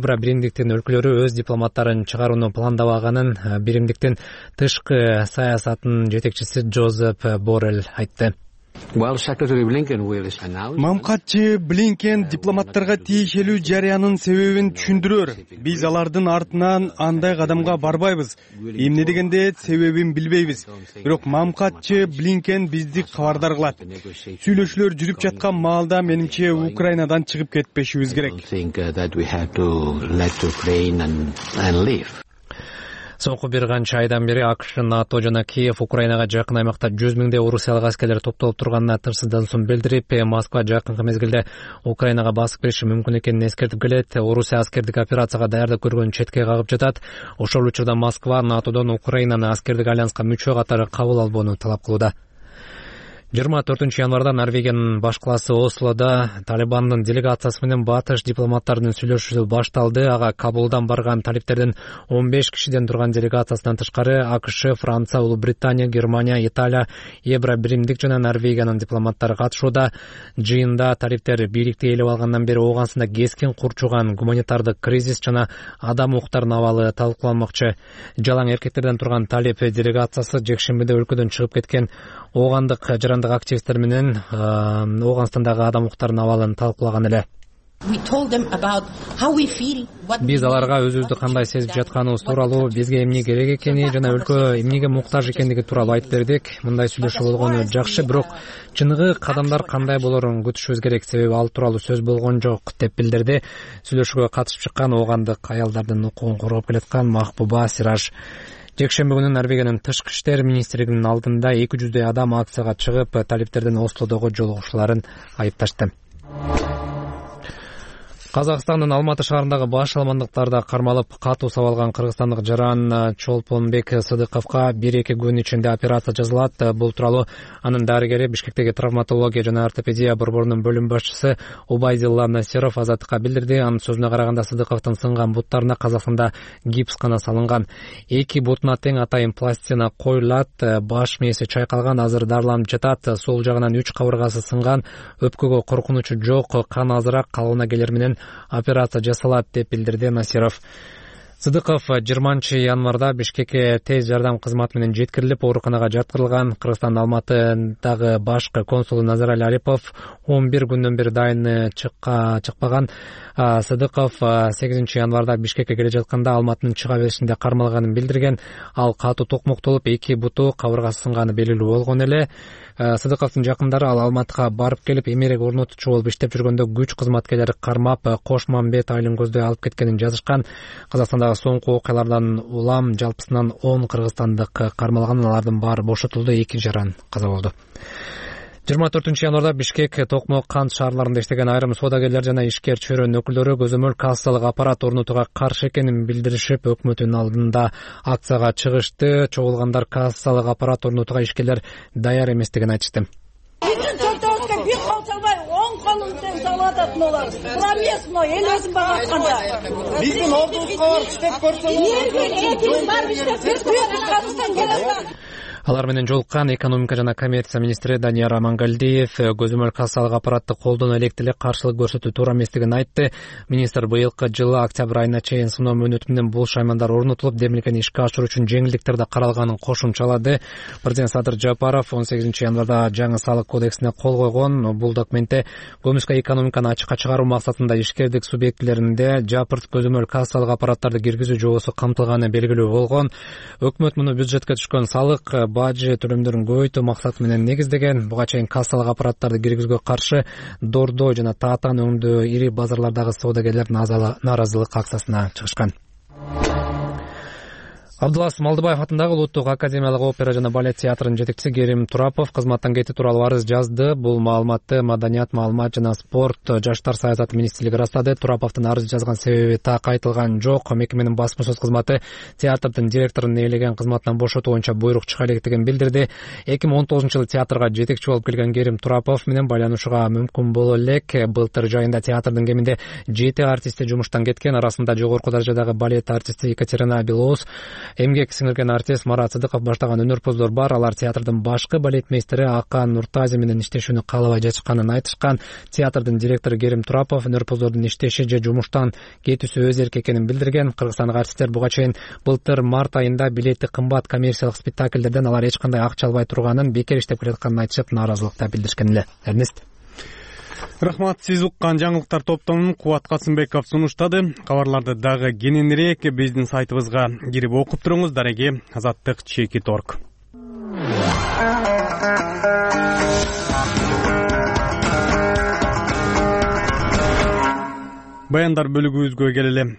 Биримдиктин өлкөлөрү өз дипломаттарын чыгарууну пландабаганын биримдиктин тышкы саясатынын жетекчиси Джозеф Боррелл айтты. Мамкатчы Блинкен дипломаттарга тиешелүү жарыянын себебин түшүндүрөр. Биз алардын артынан андай кадамга барбайбыз. Эмне дегенде себебин билбейбиз. Бирок мамкатчы Блинкен бизди кабардар кылат. Сүйлөшүүлөр жүрүп жаткан маалда менимче Украинадан чыгып кетпешибиз керек. Соңку бир канча айдан бери АКШ, НАТО жана Киев Украинага жакын аймакта 100 миңдей орусиялык аскерлер топтолуп турганына тырсыздансуун билдирип, Москва жакынкы мезгилде Украинага басып кириши мүмкүн экенин эскертип келет. Орусия аскердик операцияга даярдык көргөнүн четке кагып жатат. Ошол учурда Москва НАТОдон Украинаны аскердик альянска мүчө катары кабыл албоону талап кылууда. 24 январда Норвегиянын баш калаасы Ослода Талибандын делегациясы менен батыш дипломаттарынын сүйлөшүүсү башталды. Ага Кабулдан барган талиптердин 15 кишиден турган делегациясынан тышкары АКШ, Франция, Улуу Британия, Германия, Италия, Евро биримдик жана Норвегиянын дипломаттары катышууда. Жыйында талиптер бийликти ээлеп алгандан бери Ооганстанда кескин курчуган гуманитардык кризис жана адам укуктарынын абалы талкууланмакчы. Жалаң эркектерден турган талип делегациясы жекшембиде өлкөдөн чыгып кеткен Оогандык жарандык активисттер менен Ооганстандагы адам укуктарынын абалын талкуулаган эле. Биз аларга өзүбүздү кандай сезип жатканыбыз тууралуу, бизге эмне керек экени жана өлкө эмнеге муктаж экендиги тууралуу айтып бердик. Мындай сүйлөшүү болгону жакшы, бирок чыныгы кадамдар кандай болорун күтүшүбүз керек, себеби ал тууралуу сөз болгон жок деп билдирди. Сүйлөшүүгө катышып чыккан Оогандык аялдардын укугун коргоп келаткан Махбуба Сираж. Жекшемби күнү Норвегиянын тышкы иштер министрлигинин алдында 200 адам акцияга чыгып, талиптердин Ослодогу жолугушууларын айыпташты. Казакстандын Алматы шаарындагы баш алмандыктарда кармалып катуу сабалган кыргызстандык жаран Чолпонбек Сыдыковго 1-2 күн ичинде операция жасалат. Бул тууралуу анын дарыгери Бишкектеги травматология жана ортопедия борборунун бөлүм башчысы Убайдилла Насиров Азаттыкка билдирди. Анын сөзүнө караганда Сыдыковдун сынган буттарына Казакстанда гипс гана салынган. 2 бутуна тең атайын пластина коюлат, баш мээси чайкалган, азыр дарыланып жатат. Сол жагынан 3 кабыргасы сынган, өпкөгө коркунучу жок, кан азыраак калыбына келер менен операция жасалат деп билдирди Насиров. Сыдыков 20-январда Бишкекке тез жардам кызматы менен жеткирилип, ооруканага жаткырылган. Кыргызстандын Алматыдагы башкы консулу Назарали Арипов 11 күндөн бери дайыны чыкпаган. Сыдыков 8-январда Бишкекке келе жатканда Алматынын чыга беришинде кармалганын билдирген. Ал катуу токмоктолуп, 2 буту кабыргасы сынганы белгилүү болгон эле. Сыдыковдун жакындары ал Алматыга барып келип, эмерек орнотуучу болуп иштеп жүргөндө күч кызматкерлери кармап, Кошмамбет Айлынгөздү алып кеткенин жазышкан. Казакстандагы соңку окуялардан улам жалпысынан 10 кыргызстандык кармалган, алардын баары бошотулду, 2 жаран каза болду. 24-январда Бишкек, Токмок, Кант шаарларында иштеген айрым соодагерлер жана ишкер чөйрөнүн өкүлдөрү көзөмөл кассалык аппарат орнотууга каршы экенин билдиришип, өкмөттүн алдында акцияга чыгышты. Чогулгандар кассалык аппарат орнотууга ишкерлер даяр эместигин айтышты. Биздин чөнтөбүзгө бир кол салбай, 10 колун тең салып атат мулар. Тура эмес мына эл өзүн багатканда. Биздин ордубузга барып иштеп көрсөңүз. Алар менен жолуккан экономика жана коммерция министри Данияр Амангалдиев көзөмөл кассалык аппаратты колдоно элек деле каршылык көрсөтүү туура эместигин айтты. Министр быйылкы жылы октябрь айына чейин сыноо мөөнөтү менен бул шаймандар орнотулуп, демилгени ишке ашыруу үчүн жеңилдиктер да каралганын кошумчалады. Президент Садыр Жапаров 18-январда жаңы салык кодексине кол койгон. Бул документте көмүскө экономиканы ачыкка чыгаруу максатында ишкердик субъектилеринде жапырт көзөмөл кассалык аппараттарды киргизүү жобосу камтылганы белгилүү болгон. Өкмөт муну бюджетке түшкөн салык, бажы төлөмдөрүн көбөйтүү максаты менен негиздеген. Буга чейин кассалык аппараттарды киргизүүгө каршы Дордо жана Таатан өңдүү ири базарлардагы соодагерлер нааразылык акциясына чыгышкан. Абдулас Малдыбаев атындагы Улуттук академиялык опера жана балет театрынын жетекчиси Керим Турапов кызматтан кетүү тууралуу арыз жазды. Бул маалыматты Маданият, маалымат жана спорт, жаштар саясаты министрлиги ырастады. Тураповдун арыз жазган себеби так айтылган жок. Мекеменин басма сөз кызматы театрдын директорун ээлеген кызматынан бошотуу боюнча буйрук чыга электигин билдирди. 2019-жылы театрга жетекчи болуп келген Керим Турапов менен байланышууга мүмкүн боло элек. Былтыр жайында театрдын кеминде 7 артисти жумуштан кеткен. Арасында жогорку даражадагы балет артисти Екатерина Белоус, эмгек сиңирген артист Марат Сыдыков баштаган өнөрпоздор бар. Алар театрдын башкы балетмейстери Акан Нуртази менен иштешүүнү каалабай жатышканын айтышкан. Театрдын директору Керим Турапов өнөрпоздордун иштеши же жумуштан кетүүсү өз эрки экенин билдирген. Кыргызстандык артисттер буга чейин былтыр март айында билети кымбат коммерциялык спектакльдерден алар эч кандай акча албай турганын, бекер иштеп келатканын айтышып, нааразылыкта билдиришкен эле. Эрнест. Рахмат, сиз уккан жаңылыктар топтомун Кубат Касымбеков сунуштады. Кабарларды дагы кененирээк биздин сайтыбызга кирип окуп туруңуз. Дареги azattik.org. Баяндар бөлүгүбүзгө келели.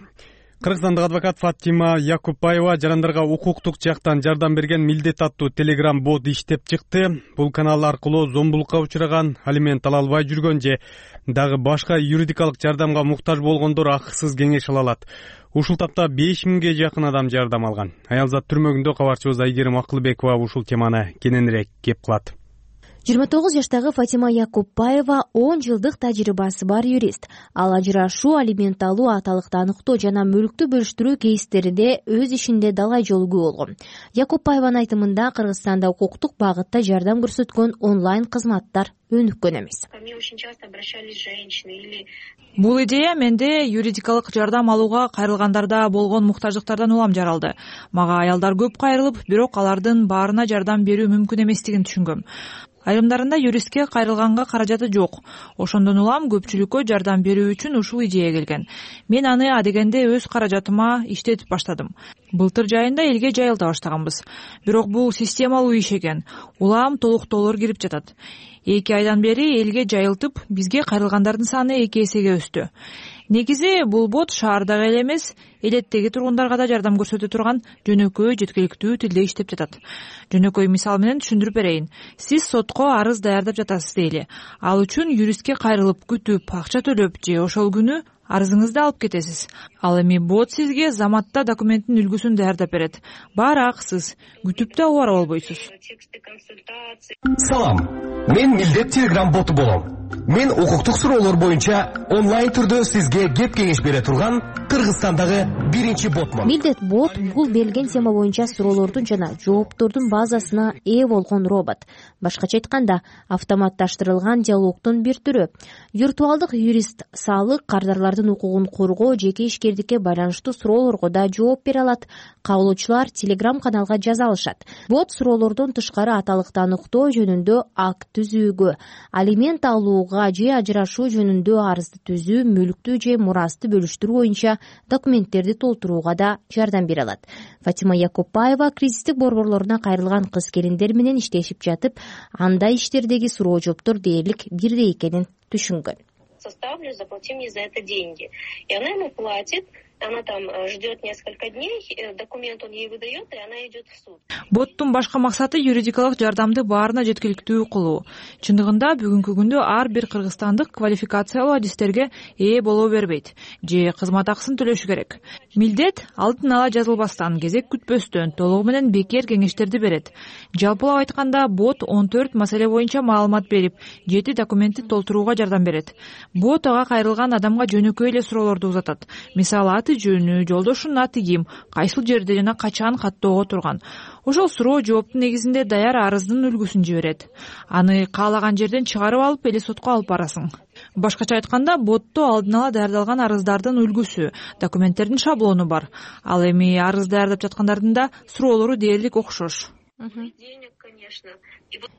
Кыргызстандык адвокат Фатима Якупбаева жарандарга укуктук жактан жардам берген Милдет аттуу телеграм бот иштеп чыкты. Бул канал аркылуу зомбулукка учураган, алимент ала албай жүргөн же дагы башка юридикалык жардамга муктаж болгондор акысыз кеңеш ала алат. Ушул тапта 5000ге жакын адам жардам алган. Аялзат түрмөгүндө кабарчыбыз Айгерим Акылбекова ушул теманы кененирээк кеп кылат. 29 жаштагы Фатима Якупбаева 10 жылдык тажрыйбасы бар юрист. Ал ажырашуу, алимент алуу, аталыкты аныктоо жана мүлктү бөлүштүрүү кейстеринде өз ишинде далай жолугуу болгон. Якупбаеванын айтымында Кыргызстанда укуктук багытта жардам көрсөткөн онлайн кызматтар өнүккөн эмес. Бул идея менде юридикалык жардам алууга кайрылгандарда болгон муктаждыктардан улам жаралды. Мага аялдар көп кайрылып, бирок алардын баарына жардам берүү мүмкүн эместигин түшүнгөм. Айрымдарында юристке кайрылганга каражаты жок. Ошондон улам көпчүлүккө жардам берүү үчүн ушул идея келген. Мен аны адегенде өз каражатыма иштетип баштадым. Былтыр жайында элге жайылта баштаганбыз. Бирок бул системалуу иш экен. Улам толуктоолор кирип жатат. 2 айдан бери элге жайылтып, бизге кайрылгандардын саны 2 эсеге өстү. Негизи бул бот шаардагы эле эмес, элеттеги тургундарга да жардам көрсөтө турган жөнөкөй, жеткиликтүү тилде иштеп жатат. Жөнөкөй мисал менен түшүндүрүп берейин. Сиз сотко арыз даярдап жатасыз дейли. Ал үчүн юристке кайрылып, күтүп, акча төлөп же ошол күнү арызыңызды алып кетесиз. Ал эми бот сизге заматта документтин үлгүсүн даярдап берет. Баары акысыз, күтүп да убара болбойсуз. Салам. Мен Милдет телеграм боту болом. Мен укуктук суроолор боюнча онлайн түрдө сизге кеп кеңеш бере турган Кыргызстандагы биринчи ботмун. Милдет бот бул берилген тема боюнча суроолордун жана жооптордун базасына ээ болгон робот. Башкача айтканда, автоматташтырылган диалогдун бир түрү. Виртуалдык юрист салык, кардарларды азаматтардын укугун коргоо, жеке ишкердикке байланыштуу суроолорго да жооп бере алат. Кабылуучулар Telegram каналга жаза алышат. Бот суроолордон тышкары аталыкты аныктоо жөнүндө акт түзүүгө, алимент алууга же ажырашуу жөнүндө арызды түзүү, мүлктү же мурасты бөлүштүрүү боюнча документтерди толтурууга да жардам бере алат. Фатима Якупбаева кризистик борборлоруна кайрылган кыз-келиндер менен иштешип жатып, андай иштердеги суроо жооптор дээрлик бирдей экенин түшүнгөн. Составлю, заплати мне за это деньги. И она ему платит, она там ждет несколько дней, документ он ей выдает, и она идет в суд. Боттун башка максаты юридикалык жардамды баарына жеткиликтүү кылуу. Чындыгында бүгүнкү күндө ар бир кыргызстандык квалификациялуу адистерге ээ боло бербейт же кызмат акысын төлөшү керек. Милдет алдын ала жазылбастан, кезек күтпөстөн толугу менен бекер кеңештерди берет. Жалпылап айтканда, бот 14 маселе боюнча маалымат берип, 7 документти толтурууга жардам берет. Бот ага кайрылган адамга жөнөкөй эле суроолорду узатат. Мисалы, жөнү, жолдошунун аты ким, кайсыл жерде жана качан каттоого турган. Ошол суроо жооптун негизинде даяр арыздын үлгүсүн жиберет. Аны каалаган жерден чыгарып алып эле сотко алып барасың. Башкача айтканда, ботто алдын ала даярдалган арыздардын үлгүсү, документтердин шаблону бар. Ал эми арыз даярдап жаткандардын да суроолору дээрлик окшош.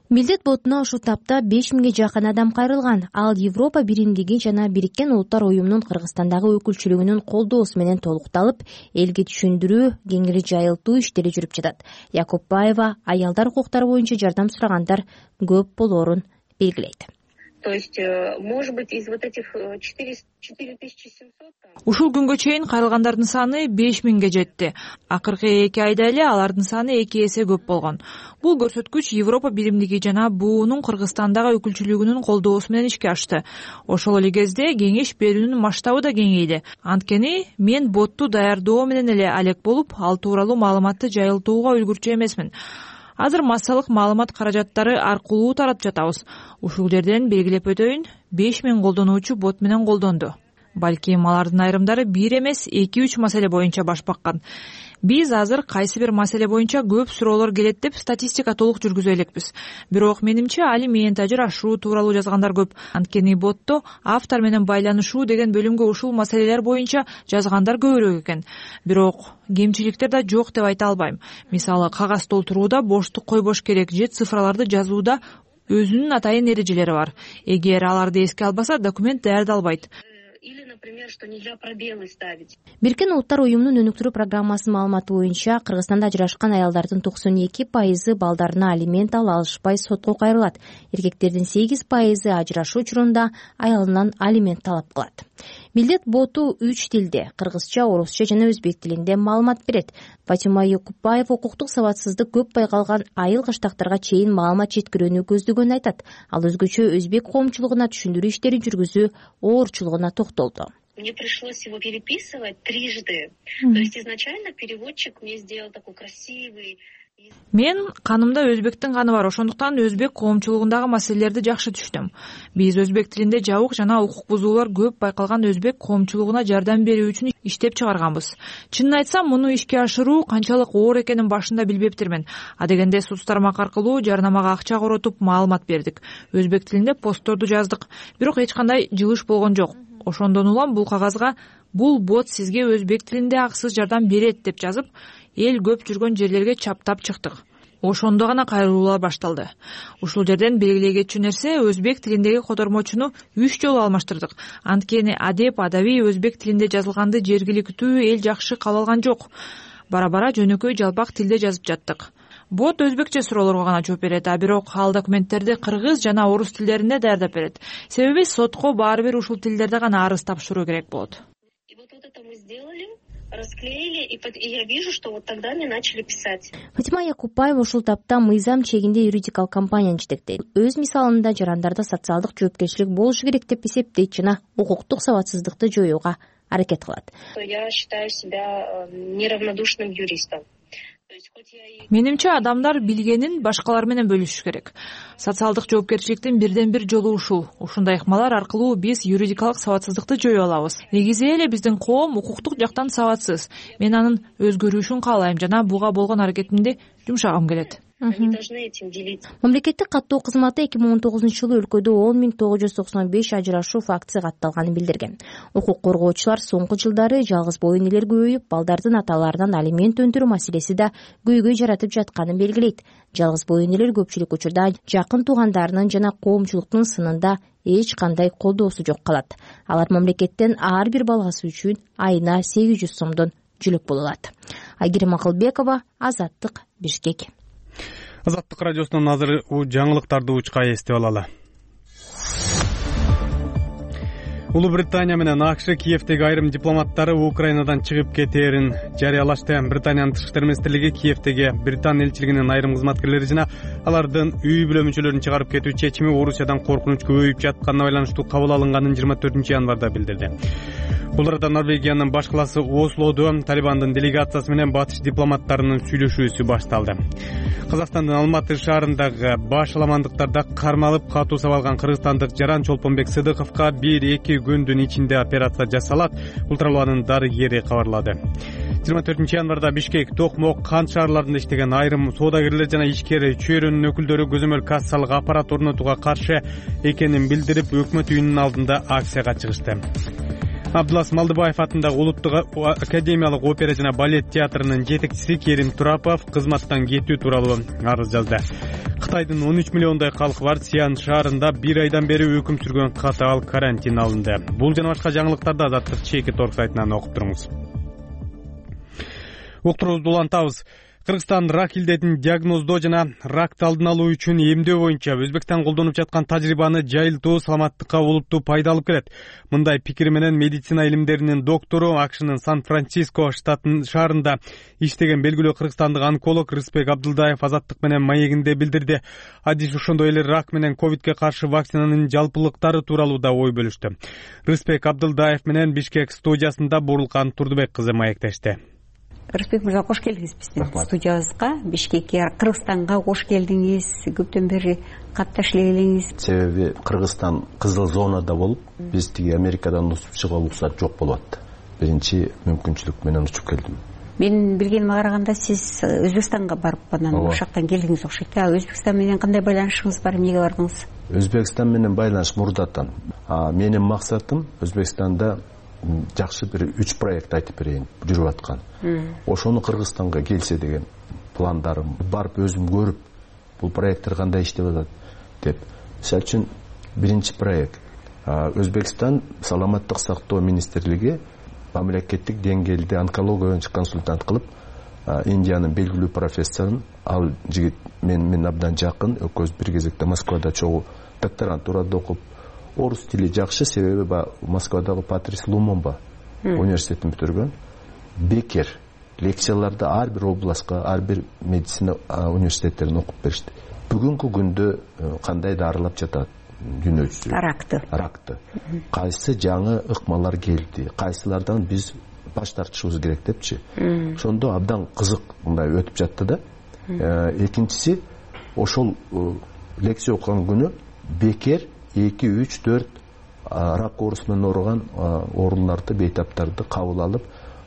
Милдет ботуна ушул тапта 5000ге жакын адам кайрылган. Ал Европа биримдиги жана Бириккен Улуттар уюмунун Кыргызстандагы өкүлчүлүгүнүн колдоосу менен толукталып, элге түшүндүрүү, кеңири жайылтуу иштери жүрүп жатат. Якупбаева аялдар укуктары боюнча жардам сурагандар көп болоорун белгилейт. То есть, может быть, из вот этих 4700... Ушул күнгө чейин кайрылгандардын саны 5000ге жетти. Акыркы 2 айда эле алардын саны 2 эсе көп болгон. Бул көрсөткүч Европа биримдиги жана БУнун Кыргызстандагы өкүлчүлүгүнүн колдоосу менен ишке ашты. Ошол эле кезде кеңеш берүүнүн масштабы да кеңейди. Анткени мен ботту даярдоо менен эле алек болуп, ал тууралуу маалыматты жайылтууга үлгүрчү эмесмин. Азыр массалык маалымат каражаттары аркылуу таратып жатабыз. Ушул жерден белгилеп өтөйүн, 5000 колдонуучу бот менен колдонду. Балким алардын айрымдары 1 эмес 2-3 маселе боюнча баш баккан. Биз азыр кайсы бир маселе боюнча көп суроолор келет деп статистика толук жүргүзө элекпиз. Бирок менимче алимент, ажырашуу тууралуу жазгандар көп. Анткени ботто автор менен байланышуу деген бөлүмгө ушул маселелер боюнча жазгандар көбүрөөк экен. Бирок кемчиликтер да жок деп айта албайм. Мисалы, кагаз толтурууда боштук койбош керек же цифраларды жазууда өзүнүн атайын эрежелери бар. Эгер аларды эске албаса, документ даярдалбайт. Или, например, что нельзя пробелы ставить. Бириккен Улуттар уюмунун өнүктүрүү программасынын маалыматы боюнча, Кыргызстанда ажырашкан аялдардын 92% балдарына алимент ала алышпай сотко кайрылат. Эркектердин 8% ажырашуу учурунда аялынан алимент талап кылат. Милдет боту 3 тилде, кыргызча, орусча жана өзбек тилинде маалымат берет. Фатима Якупбаева укуктук сабатсыздык көп байкалган айыл кыштактарга чейин маалымат жеткирүүнү көздөгөнүн айтат. Ал өзгөчө өзбек коомчулугуна түшүндүрүү иштерин жүргүзүү оорчулугуна токтолду. Мне пришлось его переписывать 3 раза. То есть изначально переводчик мне сделал такой красивый. Мен канымда өзбектин каны бар, ошондуктан өзбек коомчулугундагы маселелерди жакшы түшүнөм. Биз өзбек тилинде жабык жана укук бузуулар көп байкалган өзбек коомчулугуна жардам берүү үчүн иштеп чыгарганбыз. Чынын айтсам, муну ишке ашыруу канчалык оор экенин башында билбептирмин. Адегенде соц тармак аркылуу жарнамага акча коротуп маалымат бердик. Өзбек тилинде постторду жаздык, бирок эч кандай жылыш болгон жок. Ошондон улам бул кагазга бул бот сизге өзбек тилинде акысыз жардам берет деп жазып, эл көп жүргөн жерлерге чаптап чыктык. Ошондо гана кайрылуулар башталды. Ушул жерден белгилей кетчү нерсе, өзбек тилиндеги котормочуну 3 жолу алмаштырдык. Анткени адеп, адаби өзбек тилинде жазылганды жергиликтүү эл жакшы кабыл алган жок. Бара-бара жөнөкөй жалпак тилде жазып жаттык. Бот өзбекче суроолорго гана жооп берет, а бирок ал документтерди кыргыз жана орус тилдеринде даярдап берет. Себеби сотко баары бир ушул тилдерде гана арыз тапшыруу керек болот. И вот это мы сделали, расклеили, и я вижу, что вот тогда мне начали писать. Фатима Якупбаева ушул тапта мыйзам чегинде юридикалык компанияны жетектейт. Өз мисалында жарандарда социалдык жоопкерчилик болушу керек деп эсептейт жана укуктук сабатсыздыкты жоюуга аракет кылат. Я считаю себя неравнодушным юристом. Менимче адамдар билгенин башкалар менен бөлүшүш керек. Социалдык жоопкерчиликтин бирден бир жолу ушул. Ушундай ыкмалар аркылуу биз юридикалык сабатсыздыкты жое алабыз. Негизи эле биздин коом укуктук жактан сабатсыз. Мен анын өзгөрүшүн каалайм жана буга болгон аракетимди жумшагым келет. Они должны этим делиться. Мамлекеттик каттоо кызматы 2019-жылы өлкөдө 10.995 ажырашуу фактысы катталганын билдирген. Укук коргоочулар соңку жылдары жалгыз боо энелер көбөйүп, балдардын аталарынан алимент өндүрүү маселеси да көйгөй жаратып жатканын белгилейт. Жалгыз боо энелер көпчүлүк учурда жакын туугандарынын жана коомчулуктун сынында эч кандай колдоосу жок калат. Алар мамлекеттен ар бир баласы үчүн айына 800 сомдон жүлөк боло алат. Айгерим Акылбекова, Азаттык, Бишкек. Азаттык радиосунун азыр жаңылыктарды учка эстеп алалы. Улуу Британия менен АКШ Киевдеги айрым дипломаттары Украинадан чыгып кетээрин жарыялашты. Британиянын тышкы иштер министрлиги Киевдеги Британ элчилигинин айрым кызматкерлери жана алардын үй бүлө мүчөлөрүн чыгарып кетүү чечими Орусиядан коркунуч көбөйүп жатканына байланыштуу кабыл алынганын 24-январда билдирди. Бул арада Норвегиянын баш калаасы Ослодо Талибандын делегациясы менен батыш дипломаттарынын сүйлөшүүсү башталды. Казакстандын Алматы шаарындагы баш аламандыктарда кармалып катуу сабалган кыргызстандык Жаран Чолпонбек Сыдыковго 1-2 күндүн ичинде операция жасалат, бул тууралуу анын дарыгери кабарлады. 24-январда Бишкек, Токмок, Кант шаарларында иштеген айрым соодагерлер жана ишкер чөйрөнүн өкүлдөрү көзөмөл кассалык аппарат орнотууга каршы экенин билдирип, өкмөт үйүнүн алдында акцияга чыгышты. Абдулас Малдыбаев атындагы Улуттук академиялык опера жана балет театрынын жетекчиси Керим Турапов кызматтан кетүү тууралуу арыз жазды. Кытайдын 13 миллиондой калкы бар Сиан шаарында 1 айдан бери өкүм сүргөн катаал карантин алынды. Бул жана башка жаңылыктарды Азаттык чеки торг сайтынан окуп туруңуз. Уктуруубузду улантабыз. Кыргызстан рак илдетин диагноздоо жана ракты алдын алуу үчүн эмдөө боюнча Өзбекстан колдонуп жаткан тажрыйбаны жайылтуу саламаттыкка олуттуу пайда алып келет. Мындай пикир менен медицина илимдеринин доктору АКШнын Сан-Франциско штатынын шаарында иштеген белгилүү кыргызстандык онколог Рыспек Абдылдаев Азаттык менен маегинде билдирди. Адис ошондой эле рак менен ковидке каршы вакцинанын жалпылыктары тууралуу да ой бөлүштү. Рыспек Абдылдаев менен Бишкек студиясында Бурулкан Турдубек кызы маектешти. Рыспек мырза, кош келдиңиз биздин студиябызга, Бишкекке, Кыргызстанга кош келдиңиз. Көптөн бери катташ эле келеңиз. Себеби Кыргызстан кызыл зонада болуп, биз тиги Америкадан учуп чыгуу уруксат жок болуп атты. Биринчи мүмкүнчүлүк менен учуп келдим. Менин билгениме караганда сиз Өзбекстанга барып анан ошол жактан келдиңиз окшойт. Өзбекстан менен кандай байланышыңыз бар, эмнеге бардыңыз? Өзбекстан менен байланыш мурдатан. Менин максатым Өзбекстанда жакшы бир 3 проект айтып берейин, жүрүп аткан. Ошону Кыргызстанга келсе деген пландарым, барып өзүм көрүп, бул проекттер кандай иштеп атат деп. Мисалы үчүн биринчи проект Өзбекстан саламаттык сактоо министрлиги мамлекеттик деңгээлде онкология боюнча консультант кылып, Индиянын белгилүү профессорун, ал жигит мен абдан жакын, экөөбүз бир кезекте Москвада чогуу докторантурада окуп, орус тили жакшы, себеби Москвадагы Патрис Лумумба университетин бүтүргөн. Бекер лекцияларды ар бир областка, ар бир медицина университеттерин окуп беришти. Бүгүнкү күндө кандай дарылап жатат дүйнө жүзү? Ракты. Кайсы жаңы ыкмалар келди, кайсылардан биз баш тартышыбыз керек депчи. Ошондо абдан кызык мындай өтүп жатты да. Экинчиси, ошол лекция окуган күнү бекер 2, 3, 4 рак оорусунан ооруган ооруларды, бейтаптарды кабыл алып,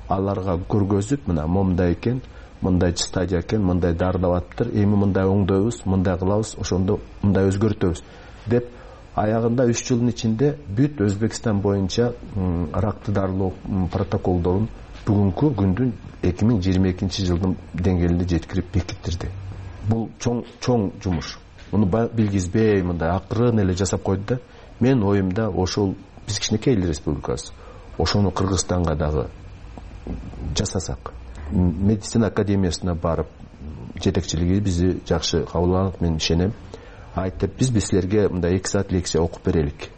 аларга көргөзүп, мына момундай экен, мындай стадия экен, мындай дарылап атыптыр, эми мындай оңдойбуз, мындай кылабыз, ошондо мындай өзгөртөбүз деп, аягында 3 жылдын ичинде бүт Өзбекстан боюнча ракты дарылоо протоколдорун бүгүнкү күндүн 2022 жылдын деңгээлинде жеткирип бекиттирди. Бул чоң жумуш. Муну билгизбей, мындай акырын эле жасап койду да. Мен оюмда ошол биз кичинекей эл республикасы. Ошону Кыргызстанга дагы жасасак. Медицина академиясына барып, жетекчилиги бизди жакшы кабыл алат, мен ишенем. Айтып, биз силерге мындай 2 саат лекция окуп берелик.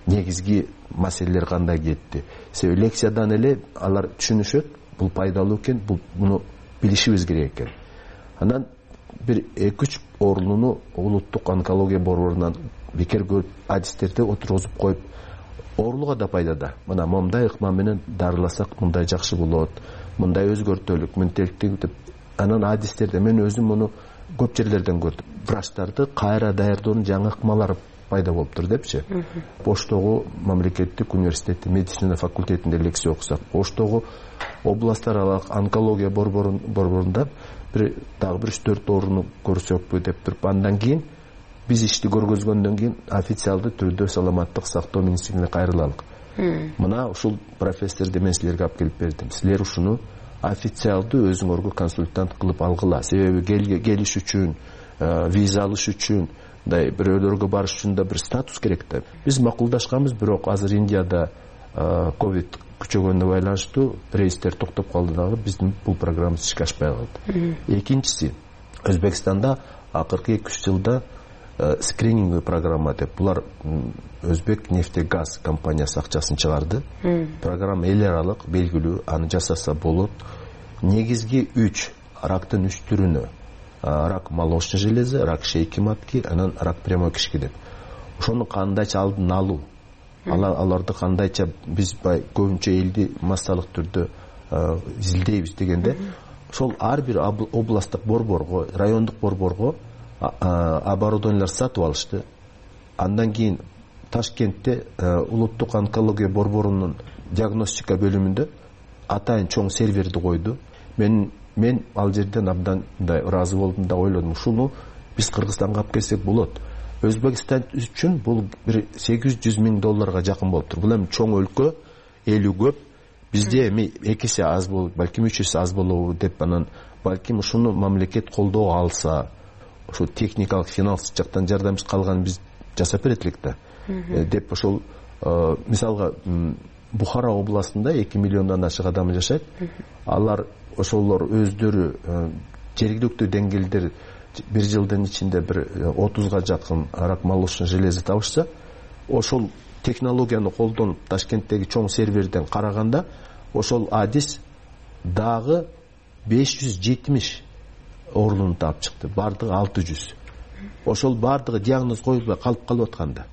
Негизги маселелер кандай кетти. Себеби лекциядан эле алар түшүнүшөт, бул пайдалуу экен, буну билишибиз керек экен. Анан бир 2-3 оорунуну улуттук онкология борборунан бекер көрүп, адистерди отургузуп коюп, оорулуга да пайдада. Мына момундай ыкма менен дарыласак мындай жакшы болот, мындай өзгөртөлүк, мынтеликтик деп. Анан адистерде мен өзүм муну көп жерлерден көрдүм. Врачтарды кайра даярдоонун жаңы ыкмалары пайда болуптур депчи. Оштогу мамлекеттик университеттин медицина факультетинде лекция окусак, Оштогу областтар аралык онкология борборунда дагы бир 3-4 орунду көрсөкпү деп туруп, андан кийин биз ишти көргөзгөндөн кийин официалдуу түрдө саламаттык сактоо министрлигине кайрылалык. Мына ушул профессорду мен силерге алып келип бердим. Силер ушуну официалдуу өзүңөргө консультант кылып алгыла. Себеби келиш үчүн, виза алыш үчүн, мындай бирөөлөргө барыш үчүн да бир статус керек да. Биз макулдашканбыз, бирок азыр Индияда ковид күчөгөнүнө байланыштуу рейстер токтоп калды дагы, биздин бул программабыз ишке ашпай калды. Экинчиси, Өзбекстанда акыркы 2-3 жылда скрининговый программа деп, булар Өзбек нефтегаз компаниясы акчасын чыгарды. Программа эл аралык белгилүү, аны жасаса болот. Негизги 3 рактын 3 түрүнө, рак молочной железы, рак шейки матки, анан рак прямой кишки деп. Ошону кандайча алдын алуу, аларды кандайча биз көбүнчө элди массалык түрдө изилдейбиз дегенде, ошол ар бир областтык борборго, райондук борборго оборудованиялар сатып алышты. Андан кийин Ташкентте улуттук онкология борборунун диагностика бөлүмүндө атайын чоң серверди койду. Мен ал жерден абдан ыраазы болдум да ойлодум, ушуну биз Кыргызстанга алып келсек болот. Өзбекстан үчүн бул бир $800 миң жакын болуп тур. Бул эми чоң өлкө, элүү көп. Бизде эми 2 эсе аз болот, балким 3 эсе аз болобу деп, анан балким ушуну мамлекет колдоо алса, ошо техникалык финансылык жактан жардам калган биз жасап берет элек да. Деп ошол мисалга Бухара областында 2 миллиондон ашык адам жашайт. Алар ошолор өздөрү жергиликтүү деңгээлдер бир жылдын ичинде бир 30га жакын рак молочной железы табышса, ошол технологияны колдонуп Ташкенттеги чоң серверден караганда, ошол адис дагы 570 орунун таап чыкты. Бардыгы 600. Ошол бардыгы диагноз коюлбай калып атканда.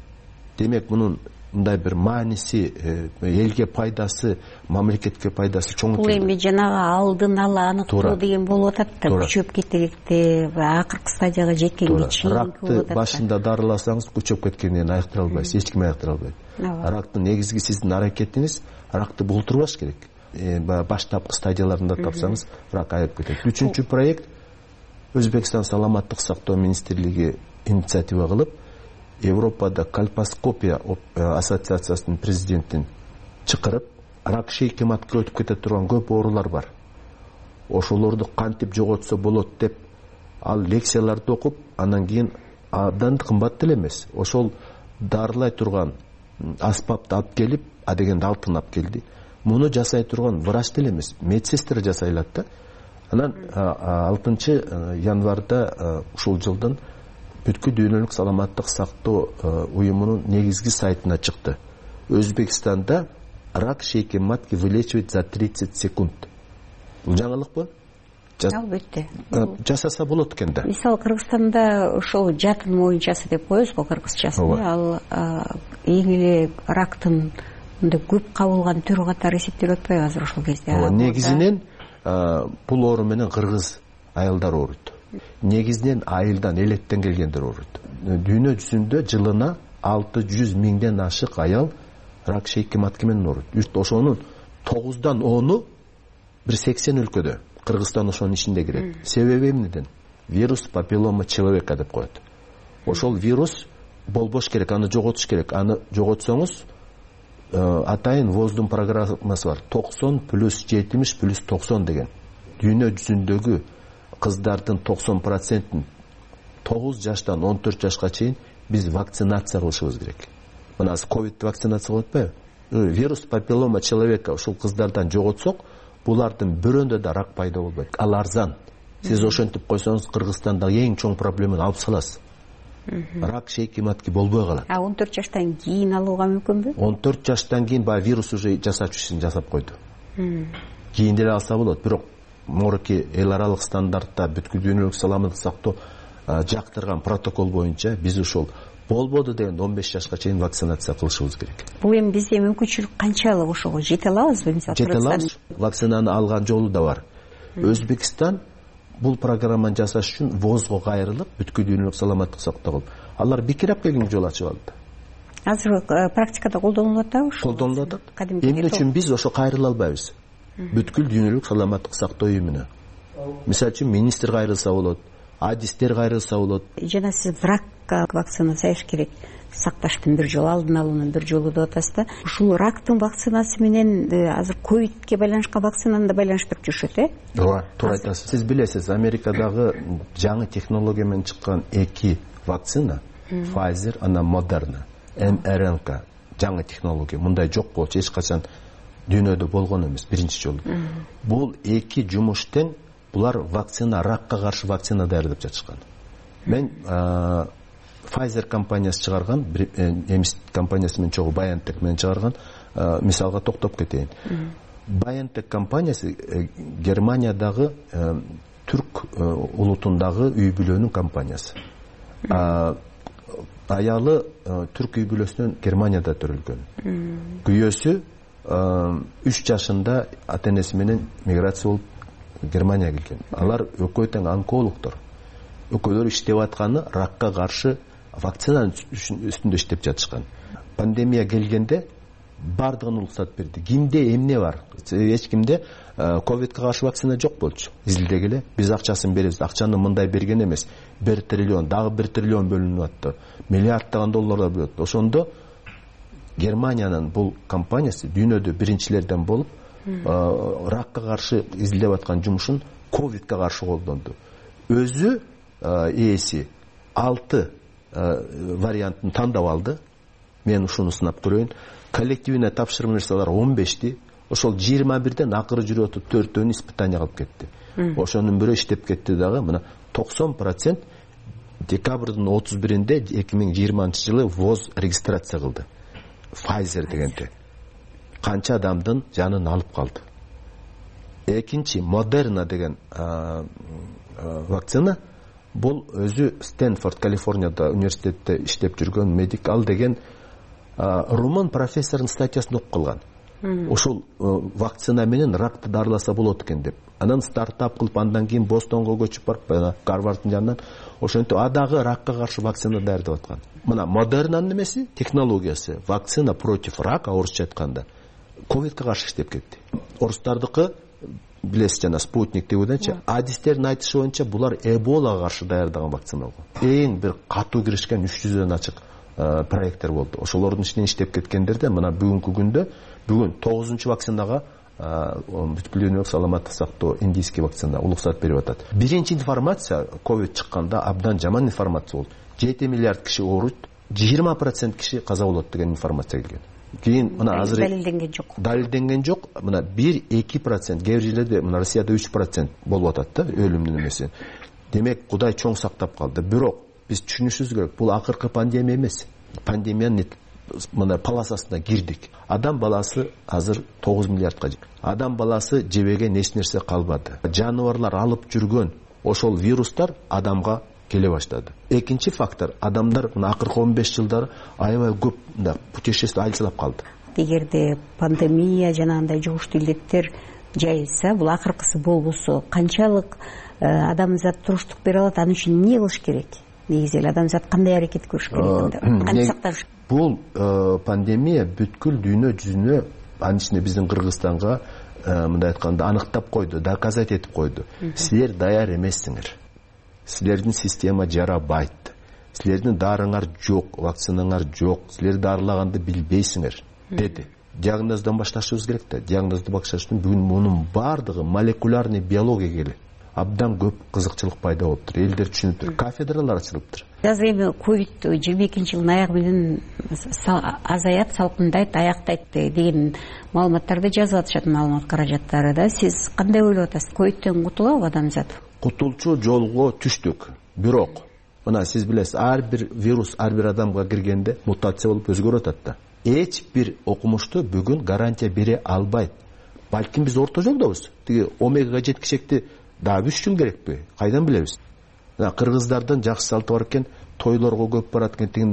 Демек мунун мындай бир мааниси, элге пайдасы, мамлекетке пайдасы чоң. Бул эми жанагы алдын ала аныктоо деген болуп атат да, күчөп кетекте, акыркы стадияга жеткенге чейин. Ракты башында дарыласаңыз күчөп кеткенден айыктыра албайсыз, эч ким айыктыра албайт. Рактын негизги сиздин аракетиңиз ракты бултурбаш керек. Баштапкы стадияларында тапсаңыз, рак айып кетет. 3-чү проект Өзбекстан саламаттык сактоо министрлиги инициатива кылып, Европада кальпоскопия ассоциациясынын президентин чакырып, рак шейки матка өтүп кете турган көп оорулар бар. Ошолорду кантип жоготсо болот деп, ал лекцияларды окуп, андан кийин абдан кымбат деле эмес. Ошол дарылай турган аспапты алып келип, адегенде алтын алып келди. Муну жасай турган врач деле эмес, медсестра жасай алат да. Анан 6 январда ушул жылдын бүткүл дүйнөлүк саламаттык сактоо уюмунун негизги сайтына чыкты. Өзбекстанда рак шейки матки вылечивать за 30 секунд. Бул жаңылыкпы? Албетте. Жасаса болот экен да. Мисалы Кыргызстанда ошол жатын моюнчасы деп коебуз го, кыргызчасын. Ал эң эле рактын мындай көп кабылган түрү катары эсептелип атпайбы азыр ошол кезде? Негизинен бул оору менен кыргыз аялдар ооруйт. Негизинен айылдан, элеттен келгендер ооруйт. Дүйнө жүзүндө жылына 600 миңден ашык аял рак шейки матки менен ооруйт. Ошонун 9дан 10-у бир 80 өлкөдө. Кыргызстан ошонун ичинде кирет. Себеби эмнеден? Вирус папиллома человека деп коет. Ошол вирус болбош керек, аны жоготуш керек. Аны жоготсоңуз атайын воздун программасы бар. 90 плюс 70 плюс 90 деген. Дүйнө жүзүндөгү кыздардын 90%-ин 9 жаштан 14 жашка чейин биз вакцинация кылышыбыз керек. Мына ковид вакцинация кылып атпайбы? Вирус папиллома человека ушул кыздардан жоготсок, булардын бирөөндө да рак пайда болбойт. Ал арзан. Сиз ошентип койсоңуз Кыргызстандагы эң чоң проблеманы алып саласыз. Рак шейки матки болбой калат. 14 жаштан кийин алууга мүмкүнбү? 14 жаштан кийин баягы вирус уже жасап ишин жасап койду. Кийин деле алса болот, бирок морки эл аралык стандартта бүткүл дүйнөлүк саламаттык сактоо жактырган протокол боюнча биз ушул болбоду деген 15 жашка чейин вакцинация кылышыбыз керек. Бул эми бизде мүмкүнчүлүк канчалык ошого жете алабызбы? Жете алабыз. Вакцинаны алган жолу да бар. Өзбекстан бул программаны жасаш үчүн ВОЗго кайрылып, бүткүл дүйнөлүк саламаттык сактоо кылып, алар бекер алып келген жол ачып алды. Азыр практикада колдонулуп атабы? Колдонулуп атат. Эмне үчүн биз ошо кайрыла албайбыз? бүткүл дүйнөлүк саламаттык сактоо уюмуна. Мисалы үчүн министр кайрылса болот, адистер кайрылса болот. Жана сиз ракка вакцинациялаш керек. Сакташтын бир жолу, алдын алуунун бир жолу деп атасыз да. Ушул рактын вакцинасы менен азыр ковидке байланышкан вакцинаны да байланыштырып жүрүшөт, Ооба, туура айтасыз. Сиз билесиз, Америкадагы жаңы технология менен чыккан 2 вакцина, Pfizer, анан Moderna, mRNA, жаңы технология. Мындай жок болчу, эч качан дүйнөдө болгон эмес, биринчи жолу. Бул 2 жумуш тең, булар вакцина, ракка каршы вакцина даярдап жатышкан. Мен Pfizer компаниясы чыгарган, немис компаниясы менен чогуу BioNTech менен чыгарган мисалга токтоп кетейин. BioNTech компаниясы Германиядагы түрк улутундагы үй бүлөнүн компаниясы. Аялы түрк үй бүлөсүнөн Германияда төрөлгөн. Күйөөсү 3 жашында ата-энеси менен миграция болуп Германияга келген. Алар экөө тең онкологдор. Экөөлөр иштеп атканы ракка каршы вакцинанын үстүндө иштеп жатышкан. Пандемия келгенде бардыгын уруксат берди. Кимде эмне бар? Эч кимде ковидке каршы вакцина жок болчу. Изилдегиле, биз акчасын беребиз. Акчаны мындай берген эмес. 1 триллион, дагы 1 триллион бөлүнүп атты. Миллиарддаган долларлар бөлөт. Ошондо Германиянын бул компаниясы дүйнөдө биринчилерден болуп, ракка каршы изилдеп аткан жумушун ковидке каршы колдонду. Өзү ээси 6 вариантын тандап алды. Мен ушуну сынап көрөйүн. Коллективине тапшырма берсе алар 15ти. Ошол 21ден акыры жүрүп өтүп 4-төн испытание кылып кетти. Ошонун бирөө иштеп кетти дагы. Мына 90% декабрдын 31-нде 2020-жылы ВОЗ регистрация кылды. Pfizer дегенде. Канча адамдын жанын алып калды. Экинчи Moderna деген вакцина, бул өзү Стэнфорд, Калифорнияда университетте иштеп жүргөн медик, ал деген румын профессордун статьясын окуп калган. Ошол вакцина менен ракты дарыласа болот экен деп. Анан стартап кылып, андан кийин Бостонго көчүп барып, Гарварддын жанынан ошентип дагы ракка каршы вакцина даярдап аткан. Мына Modernанын немеси, технологиясы, вакцина против рака, орусча айтканда, ковидке каршы иштеп кетти. Орустардыкы билесиз, жана спутник дегендечи, адистердин айтышы боюнча булар Эболага каршы даярдаган вакцина болгон. Эң бир катуу киришкен 300дөн ачык проекттер болду. Ошолордун ичинен иштеп кеткендерде мына бүгүнкү күндө бүгүн 9-чу вакцинага бүткүл дүйнөлүк саламаттык сактоо индийский вакцина уруксат берип атат. Биринчи информация ковид чыкканда абдан жаман информация болду. 7 миллиард киши ооруйт, 20% киши каза болот деген информация келген. Кийин мына азыр далилденген жок. Мына 1-2%, кээ бир жерлерде мына Россияда 3% болуп атат да өлүмдүн эмеси. Демек Кудай чоң сактап калды. Бирок биз түшүнүшүбүз керек, бул акыркы пандемия эмес. Пандемиянын мына паласасына кирдик. Адам баласы азыр 9 миллиардка жетти. Адам баласы жебеген эч нерсе калбады. Жаныбарлар алып жүргөн ошол вирустар адамга келе баштады. Экинчи фактор, адамдар мына акыркы 15 жылдары аябай көп путешествие айлап калды. Эгерде пандемия жана андай жугуштуу илдеттер жайылса, бул акыркысы болбосо, канчалык адамзат туруштук бере алат, аны үчүн эмне кылыш керек? Негизи эле адамзат кандай аракет көрүш керек? Кантип сактаныш? Бул пандемия бүткүл дүйнө жүзүнө, анын ичинде биздин Кыргызстанга мындай айтканда аныктап койду, доказать этип койду. Силер даяр эмессиңер. Силердин система жарабайт. Силердин дарыңар жок, вакцинаңар жок. Силер дарылаганды билбейсиңер, деди. Диагноздон башташыбыз керек да. Диагнозду башташ үчүн бүгүн мунун бардыгы молекулярный биологияга келет. Абдан көп кызыкчылык пайда болуптур. Элдер түшүнүптүр. Кафедралар ачылыптыр. Азыр эми ковид 22-жылдын аягы менен азаят, салкындайт, аяктайт деген маалыматтарды жазып атышат, маалымат каражаттары да. Сиз кандай ойлоп атасыз? Ковидтен кутулабы адамзат? Кутулчу жолго түштүк. Бирок, мына сиз билесиз, ар бир вирус ар бир адамга киргенде мутация болуп өзгөрүп атат да. Эч бир окумушту бүгүн гарантия бере албайт. Балким биз орто жолдобуз. Тиги омегага жеткичекти дагы 3 жыл керекпи? Кайдан билебиз? Кыргыздардын жакшы салты бар экен, тойлорго көп барат экен.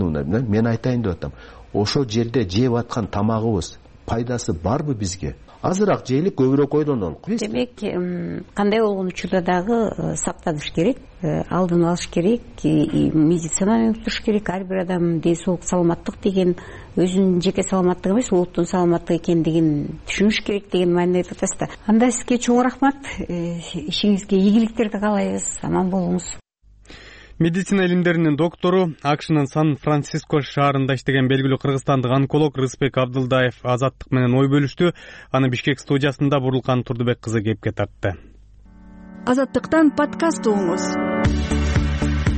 Мен айтайын деп атам. Ошол жерде жеп аткан тамагыбыз пайдасы барбы бизге? азыраак жейли, көбүрөөк ойлонолу. Демек, кандай болгон учурда дагы сактаныш керек, алдын алыш керек, медицинаны уктуруш керек. Ар бир адам ден соолук, саламаттык деген өзүнүн жеке саламаттыгы эмес, улуттун саламаттыгы экендигин түшүнүш керек деген мааниде айтып атасыз да. Анда сизге чоң рахмат, ишиңизге ийгиликтерди каалайбыз, аман болуңуз. Медицина илимдеринин доктору, АКШнын Сан-Франциско шаарында иштеген белгилүү кыргызстандык онколог Рысбек Абдылдаев Азаттык менен ой бөлүштү. Аны Бишкек студиясында Бурурлкан Турдубек кызы кепке тартты. Азаттыктан подкаст угуңуз.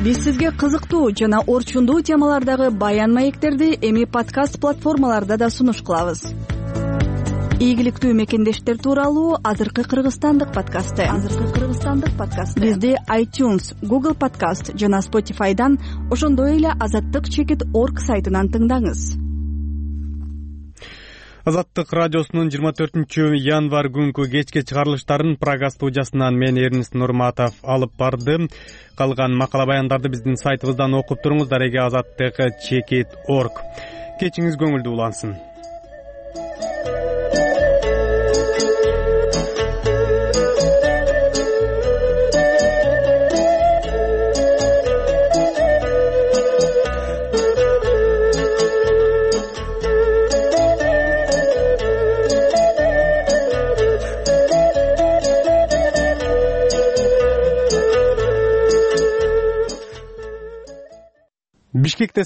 Биз сизге кызыктуу жана орчундуу темалардагы баян маектерди эми подкаст платформаларда да сунуш кылабыз. Ийгиликтүү мекендештер тууралуу азыркы кыргызстандык подкасты. Бизди iTunes, Google Podcast жана Spotify'дан, ошондой эле azattik.org сайтынан тыңдаңыз. Азаттык радиосунун 24 январь күнкү кечки чыгарылыштарын Прага студиясынан мен Эрнис Нурматов алып барды. Калган макала баяндарды биздин сайтыбыздан окуп туруңуз. Дареге azattik.org. Кечиңиз көңүлдүү улансын. Бишкекте